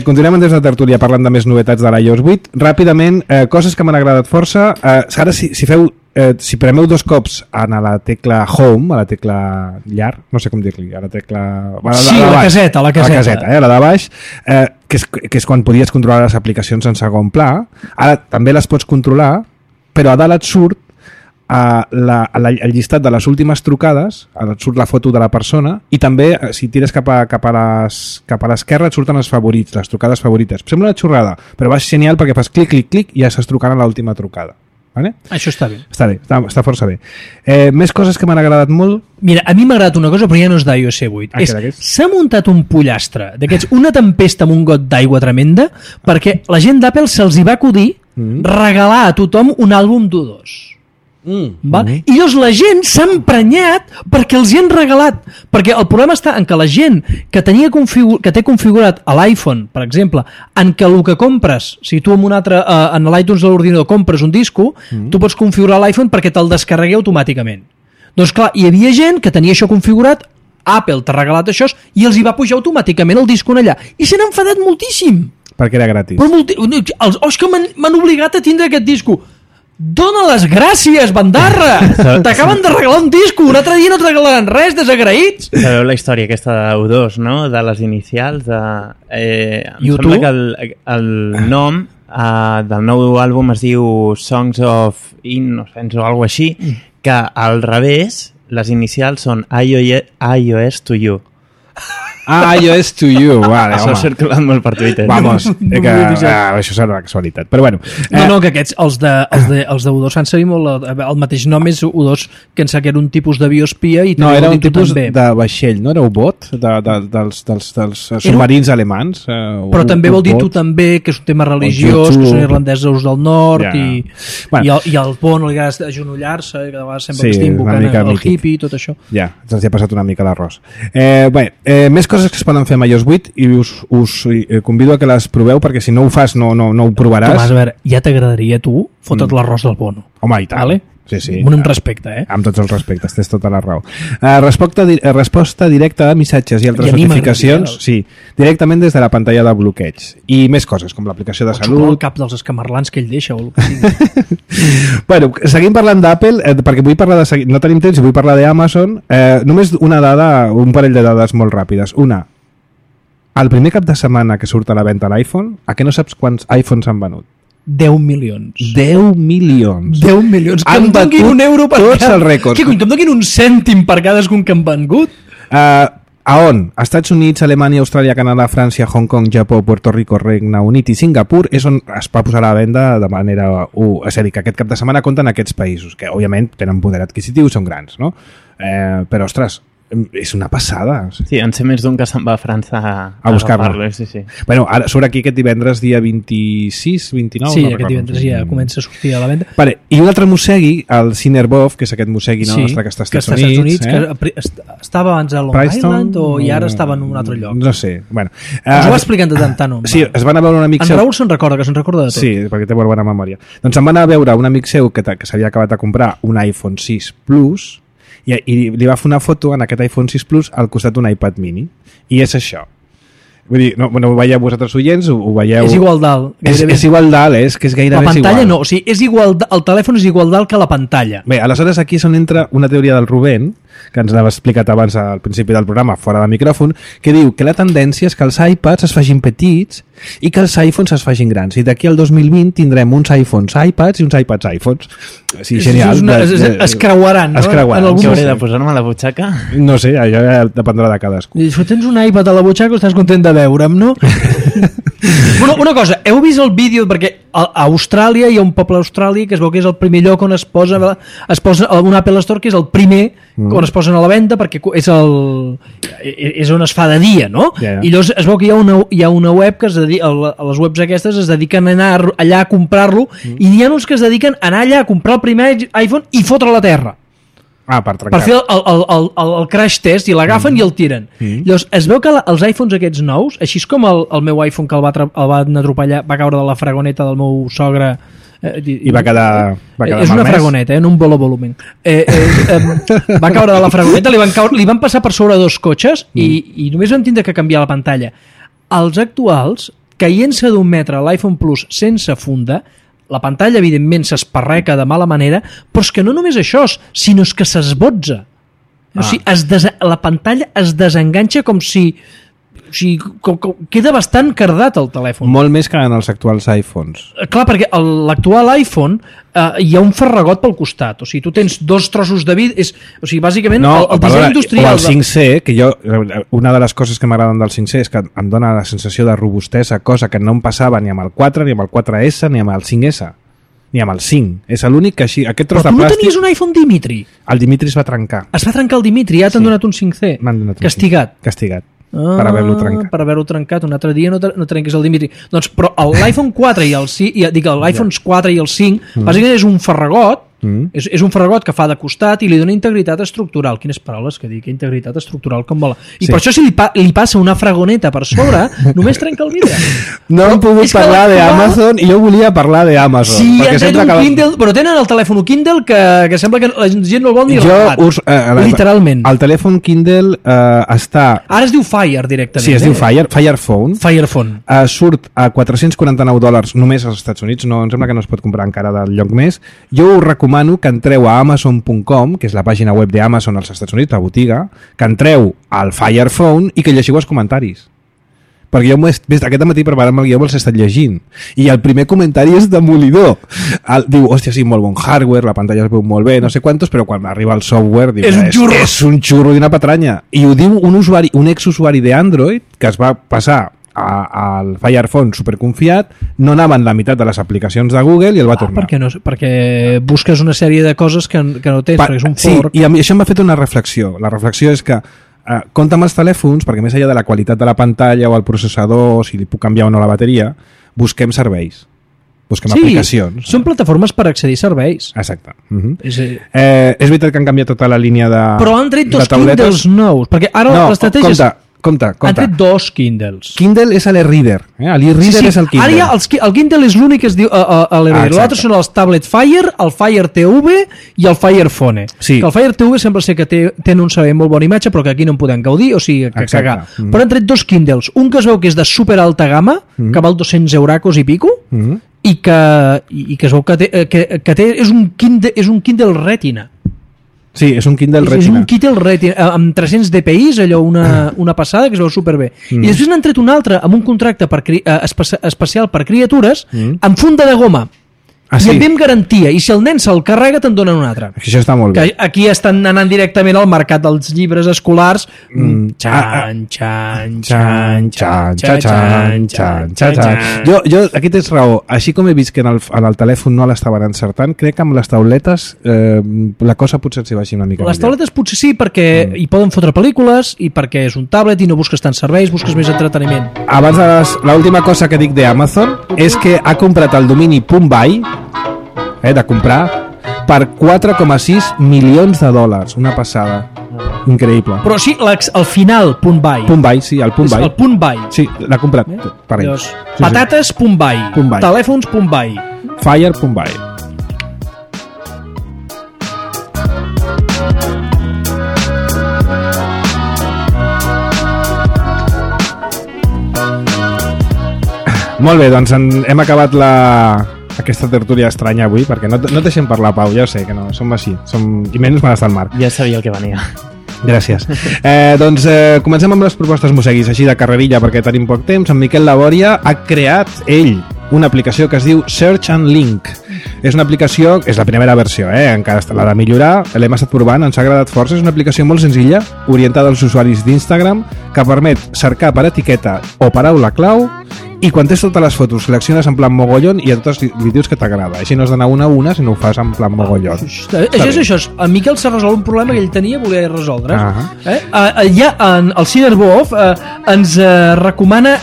continuem des de tertúlia parlant de més novetats de l'iOS 8. Ràpidament, coses que m'han agradat força. Ara, si premeu 2 cops a la tecla Home, a la tecla llar, no sé com dir-li, a la tecla... Sí, a la caseta. A la caseta, a la de baix, que és quan podies controlar les aplicacions en segon pla. Ara també les pots controlar, però a dalt et surt el llistat de les últimes trucades, et surt la foto de la persona i també si tires cap a l'esquerra et surten els favorits, les trucades favorites. Sembla una xorrada, però va ser genial perquè fas clic, clic, clic i ja estàs trucant a l'última trucada. Vale? Això està bé. Està força bé. Més coses que m'han agradat molt. Mira, a mi m'ha agradat una cosa, però ja no és d'iOS 8. S'ha muntat un pollastre d'aquests, una tempesta amb un got d'aigua tremenda, perquè la gent d'Apple se'ls hi va acudir regalar a tothom un àlbum d'U2. I llavors la gent s'ha emprenyat perquè els hi han regalat, perquè el problema està en que la gent que té configurat a l'iPhone, per exemple, en què el que compres, si tu en l'iTunes de l'ordinador compres un disco, tu pots configurar l'iPhone perquè te'l descarregui automàticament. Doncs clar, hi havia gent que tenia això configurat, Apple t'ha regalat això i els hi va pujar automàticament el disco allà i s'han enfadat moltíssim perquè era gratis. És que m'han obligat a tindre aquest disco. Dóna les gràcies, bandarra! T'acaben de regalar un disco, un altre dia no et regalaran res, desagraïts! Sabeu la història aquesta d'U2, no? De les inicials de... em sembla que el nom del nou àlbum es diu Songs of Innocence o alguna així, que al revés les inicials són iOS to you. iOS to you, vale, això ha circulat molt per Twitter. Vamos, això serà una casualitat, però bueno. No, que aquests, els de U2 s'han seguit molt, el mateix nom és U2, que ens era un tipus d'avió espia i no, era un tipus de vaixell, no? Era U-Boot, dels submarins alemans. Però també vol dir tu també, que és un tema religiós, que són irlandesos del nord, i al pont li agrada agenollar-se, que de vegades sembla que estic invocant el hippie i tot això. Ja, ens ha passat una mica l'arròs. Bé, més coses que es poden fer amb iOS 8 i us convido a que les proveu perquè si no ho fas no ho provaràs. Tomàs, a veure, ja t'agradaria a tu fotre't l'arròs del Bono. Home, i tant. Vale? Sí. Amb respecte, Amb tots els respectes, tens tota la raó. Resposta directa a missatges i altres notificacions, directament des de la pantalla de bloqueig. I més coses, com l'aplicació de salut... el cap dels escamarlans que ell deixa o el que sigui. Bueno, seguim parlant d'Apple, perquè vull parlar no tenim temps i vull parlar d'Amazon. Només una dada, un parell de dades molt ràpides. Una, el primer cap de setmana que surt a la venda l'iPhone, a què no saps quants iPhones han venut? 10 milions. 10 milions. 10 milions. Que em donin un euro per tots els rècords. Què cony, que em donin un cèntim per cadascun que han vengut? A on? Estats Units, Alemanya, Austràlia, Canadà, França, Hong Kong, Japó, Puerto Rico, Regne Unit i Singapur és on es va posar a la venda de manera... És a dir, que aquest cap de setmana compten aquests països, que òbviament tenen poder adquisitiu i són grans, no? Però, ostres, és una passada. Sí, en sé més d'un que se'n va a França a buscar-lo. Sí. Bueno, ara surt aquí aquest divendres dia 26, 29... Sí, no aquest divendres ja comença a sortir a la venda. Vale, i un altre mossegui, el Cinerbov, que és aquest mossegui nostre que està als Estats Units, que estava abans a Long Island i ara estava en un altre lloc. No sé, bueno. Ens ho va explicant de tant home. Sí, es van a veure un amic seu... En Raül se'n recorda de tot. Sí, perquè té molt bona memòria. Doncs em van a veure un amic seu que s'havia acabat de comprar un iPhone 6 Plus i li va fer una foto en aquest iPhone 6 Plus al costat d'un iPad mini. I és això. Vull dir, no ho veieu vosaltres oients, ho veieu... És igual dalt. És igual dalt, és que és gairebé igual. La pantalla no, o sigui, és igual, el telèfon és igual dalt que la pantalla. Bé, aleshores aquí és on entra una teoria del Rubén, que ens l'ha explicat abans al principi del programa, fora de micròfon, que diu que la tendència és que els iPads es facin petits i que els iPhones es facin grans. I d'aquí al 2020 tindrem uns iPhones iPads i uns iPads iPhones. Sí, genial. Es creuaran, no? Es creuaran. Què hauré de posar-me a la butxaca? No sé, allò ja dependrà de cadascú. I si tens un iPad a la butxaca estàs content de veure'm, no? Bueno, una cosa, heu vist el vídeo, perquè a Austràlia hi ha un poble a Austràlia que es veu que és el primer lloc on es posa un Apple Store, que és el primer on es posen a la venda, perquè és on es fa de dia, no? Yeah. I llavors es veu que hi ha una web que les webs aquestes es dediquen a anar allà a comprar-lo i n'hi ha uns que es dediquen a anar allà a comprar el primer iPhone i fotre a la terra. Per trencar. Per fer el crash test i l'agafen i el tiren. Llavors es veu que els iPhones aquests nous, així com el meu iPhone que el van atropellar, va caure de la fragoneta del meu sogre i va quedar és una fragoneta, no un volumen. Va caure de la fragoneta, li van passar per sobre dos cotxes i només van tindre que canviar la pantalla. Els actuals, caient-se d'un metre a l'iPhone Plus sense funda, la pantalla evidentment s'esparreca de mala manera, però és que no només això, sinó que s'esbotza. O sigui, la pantalla es desenganxa com si queda bastant cardat el telèfon. Molt més que en els actuals iPhones. Clar, perquè l'actual iPhone hi ha un farragot pel costat. O sigui, tu tens dos trossos de vidre. O sigui, bàsicament, el disseny industrial... O el 5C, que jo... Una de les coses que m'agraden del 5C és que em dona la sensació de robustesa, cosa que no em passava ni amb el 4, ni amb el 4S, ni amb el 5S. Ni amb el 5. És l'únic que així... Aquest tros però tu de plàstic... no tenies un iPhone Dimitri? El Dimitri es va trencar. Es va trencar el Dimitri, ja t'han donat un 5C. M'han donat un Castigat. 5C. Castigat. Per haver-lo trencat. Per haver-lo trencat. Un altre dia no trenquis el Dimitri. Doncs, però l'iPhone 4 i el 5... l'iPhone 4 i el 5, bàsicament és un farragot. És un farragot que fa de costat i li dona integritat estructural. Quines paraules que dic, integritat estructural com vola. I per això si li passa una fragoneta per sobre, només trenca el vidre. No hem pogut parlar d'Amazon i jo volia parlar d'Amazon. Sí, han tret un Kindle, però tenen el telèfon Kindle que sembla que la gent no el vol ni regalat. Literalment. El telèfon Kindle està... Ara es diu Fire directament. Sí, es diu Firephone. Firephone. Surt a $449 només als Estats Units, no, em sembla que no es pot comprar encara del lloc més. Jo ho recomano que entreu a Amazon.com, que és la pàgina web d'Amazon als Estats Units, la botiga, que entreu al Firephone i que llegiu els comentaris. Perquè jo aquest matí preparant el guió me'ls he estat llegint. I el primer comentari és demolidor. Diu, hòstia, sí, molt bon hardware, la pantalla es veu molt bé, no sé quantos, però quan arriba el software diu, és un xurro i una patranya. I ho diu un exusuari d'Android que es va passar al Firephone superconfiat, no anaven la meitat de les aplicacions de Google i el va tornar. Perquè busques una sèrie de coses que no tens, perquè és un fork. Sí, i això m'ha fet una reflexió. La reflexió és que compta amb els telèfons, perquè més enllà de la qualitat de la pantalla o el processador, si li puc canviar o no la bateria, busquem serveis. Busquem aplicacions. Són plataformes per accedir a serveis. Exacte. És veritat que han canviat tota la línia de però han tret dos Kindles nous, perquè ara l'estratègia és... Compte. Han tret dos Kindles. Kindle és l'e-reader. L'e-reader és el Kindle. Ara ja el Kindle és l'únic que es diu l'e-reader. L'altre són els Tablet Fire, el Fire TV i el Fire Phone. Sí. Que el Fire TV sembla ser que tenen un servei molt bona imatge, però que aquí no en podem gaudir, o sigui, que cagar. Però han tret dos Kindles. Un que es veu que és de super alta gamma, que val 200 euracos i pico, i que es veu que té, és un Kindle Retina. Sí, és un Kindle Retina. És un Kindle Retina amb 300 dpi, allò una passada que es veu superbé. I després n'han tret un altre amb un contracte especial per criatures amb funda de goma. I amb garantia, i si el nen se'l carrega te'n donen un altre. Això està molt bé. Aquí estan anant directament al mercat dels llibres escolars. Xan, xan, xan, xan, xan, xan, xan. Jo, aquí tens raó, així com he vist que en el telèfon no l'estaven encertant, crec que amb les tauletes la cosa potser s'hi vagi una mica millor. Les tauletes potser sí, perquè hi poden fotre pel·lícules i perquè és un tablet i no busques tants serveis, busques més entreteniment. Abans, l'última cosa que dic d'Amazon és que ha comprat el domini .buy, de comprar, per 4,6 milions de dòlars. Una passada. Increïble. Però sí, al final, .buy. .buy, sí, el .buy. El .buy. Sí, l'ha comprat per ell. Patates, .buy. Telèfons, .buy. Fire, .buy. Molt bé, doncs hem acabat aquesta tertúlia estranya avui, perquè no et deixem parlar, Pau, ja ho sé que no, som així, i menys quan està el Marc. Ja sabia el que venia. Gràcies. Doncs comencem amb les propostes musseguis, així de carrerilla, perquè tenim poc temps. En Miquel Labòria ha creat ell una aplicació que es diu Search and Link. És una aplicació, és la primera versió, encara l'ha de millorar, l'hem estat provant, ens ha agradat força. És una aplicació molt senzilla, orientada als usuaris d'Instagram, que permet cercar per etiqueta o paraula clau, i quan tens totes les fotos selecciones en plan mogollon i a totes li dius que t'agrada. Així no has d'anar una a una, sinó ho fas en plan mogollon. Això. En Miquel s'ha resolt un problema que ell tenia i volia resoldre. Ja el Cinerboof ens recomana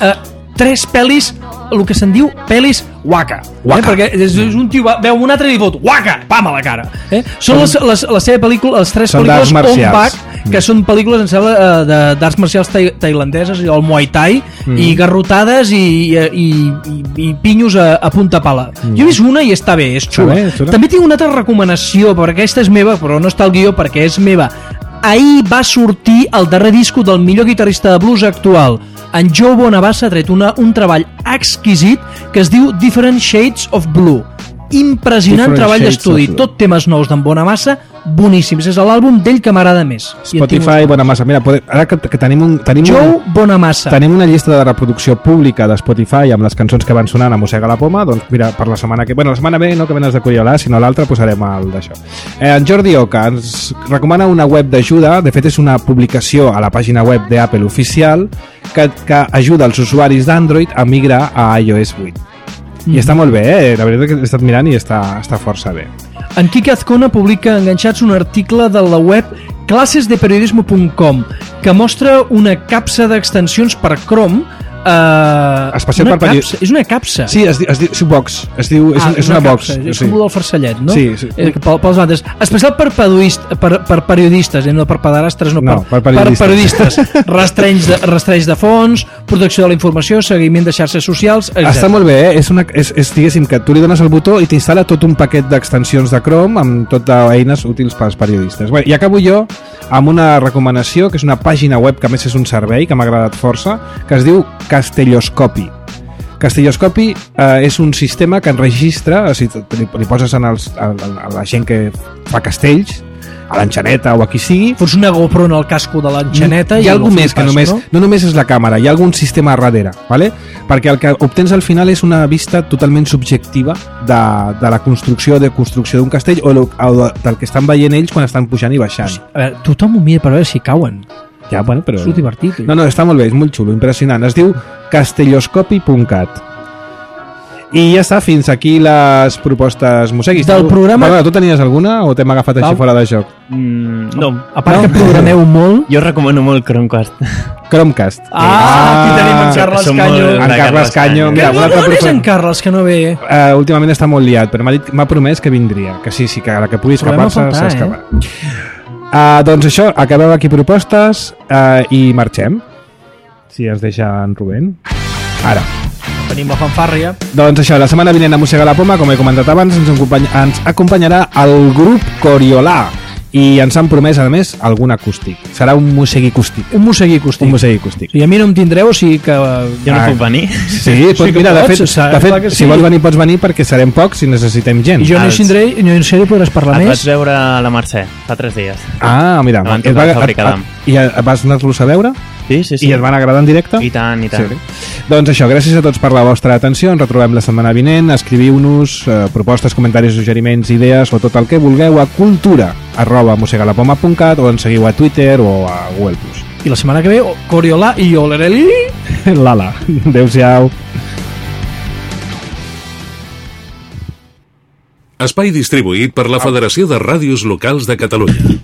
3 pel·lis, el que se'n diu pel·lis waka. Perquè és un tio veu un altre i li fot waka, pam a la cara. Són les seves pel·lícules, les 3 pel·lícules on back, que són pel·lícules, em sembla, d'arts marcials tailandeses, el Muay Thai, i garrotades i pinyos a punta pala. Jo he vist una i està bé, és xula. També tinc una altra recomanació, perquè aquesta és meva, però no està al guió perquè és meva. Ahir va sortir el darrer disco del millor guitarrista de blues actual. En Joe Bonamassa ha tret un treball exquisit que es diu Different Shades of Blue. Impressionant treball d'estudi, tot temes nous d'en Bonamassa, boníssims. És l'àlbum d'ell que m'agrada més. Spotify, Bonamassa. Mira, ara que tenim Joe Bonamassa. Tenim una llista de reproducció pública de Spotify amb les cançons que van sonant a Mossega la Poma, doncs mira, per la setmana que... Bueno, la setmana ve no que venes de Coriolà, sinó l'altra posarem el d'això. En Jordi Oca ens recomana una web d'ajuda, de fet és una publicació a la pàgina web d'Apple oficial que ajuda els usuaris d'Android a migrar a iOS 8. I està molt bé, la veritat que he estat mirant i està força bé. En Quique Azcona publica enganxats un article de la web clasesdeperiodismo.com que mostra una capsa d'extensions per Chrome. Especial per periodistes. És una capsa. Sí, es diu box. És una box. És com del farcellet, no? Sí. Pels bandes. Especial per periodistes, no per pederastres, no, per periodistes. Rastreig de fons, protecció de la informació, seguiment de xarxes socials, etc. Està molt bé, és diguéssim que tu li dones el botó i t'instal·la tot un paquet d'extensions de Chrome amb tot d'eines útils pels periodistes. Bé, i acabo jo amb una recomanació, que és una pàgina web que a més és un servei que m'ha agradat força, que es diu Castelloscopi. Castelloscopi és un sistema que enregistra, li poses a la gent que fa castells, a l'enxaneta o a qui sigui. Fots una GoPro en el casco de l'enxaneta i hi ha alguna més que no només és la càmera, hi ha algun sistema darrere, ¿vale? Perquè el que obtens al final és una vista totalment subjectiva de la construcció d'un castell o del que estan veient ells quan estan pujant i baixant. A veure, tothom ho mira per veure si cauen. Ja, bueno, però... És divertit. No, està molt bé, és molt xulo, impressionant. Es diu castelloscopi.cat. I ja està, fins aquí les propostes musseguis. Del programa... Bueno, tu tenies alguna o t'hem agafat així fora de joc? No. A part que programeu molt... Jo recomano molt Chromecast. Chromecast. Aquí tenim en Carles Canyo. En Carles Canyo. Mira, on és en Carles, que no ve? Últimament està molt liat, però m'ha promès que vindria. Que sí, que a la que pugui escapar-se s'escaparà. Doncs això, acabem aquí propostes i marxem, si ens deixa en Rubén. Ara venim a fanfàrria. Doncs això, la setmana vinent a Mossega la Poma, com he comentat abans, ens acompanyarà el grup Coriolà, I ens han promès, a més, algun acústic. Serà un mossegui acústic. Un mossegui acústic. Un mossegui acústic. I a mi no em tindreu, o sigui que... Jo no puc venir. Sí, pots, mira, de fet, si vols venir pots venir perquè serem pocs i necessitem gent. I jo no hi tindré, i no hi sé, podràs parlar més. Et vaig veure a la Mercè fa 3 dies. Ah, mira. I vas anar-los a veure? Sí. I et van agradar en directe? I tant. Sí. Doncs això, gràcies a tots per la vostra atenció. Ens retrobem la setmana vinent. Escriviu-nos propostes, comentaris, suggeriments, idees o tot el que vulgueu a cultura@mosegalapoma.cat o ens seguiu a Twitter o a Google+. I la setmana que ve, Coriolà i Olereli. Lala. Adéu-siau. Espai distribuït per la Federació de Ràdios Locals de Catalunya.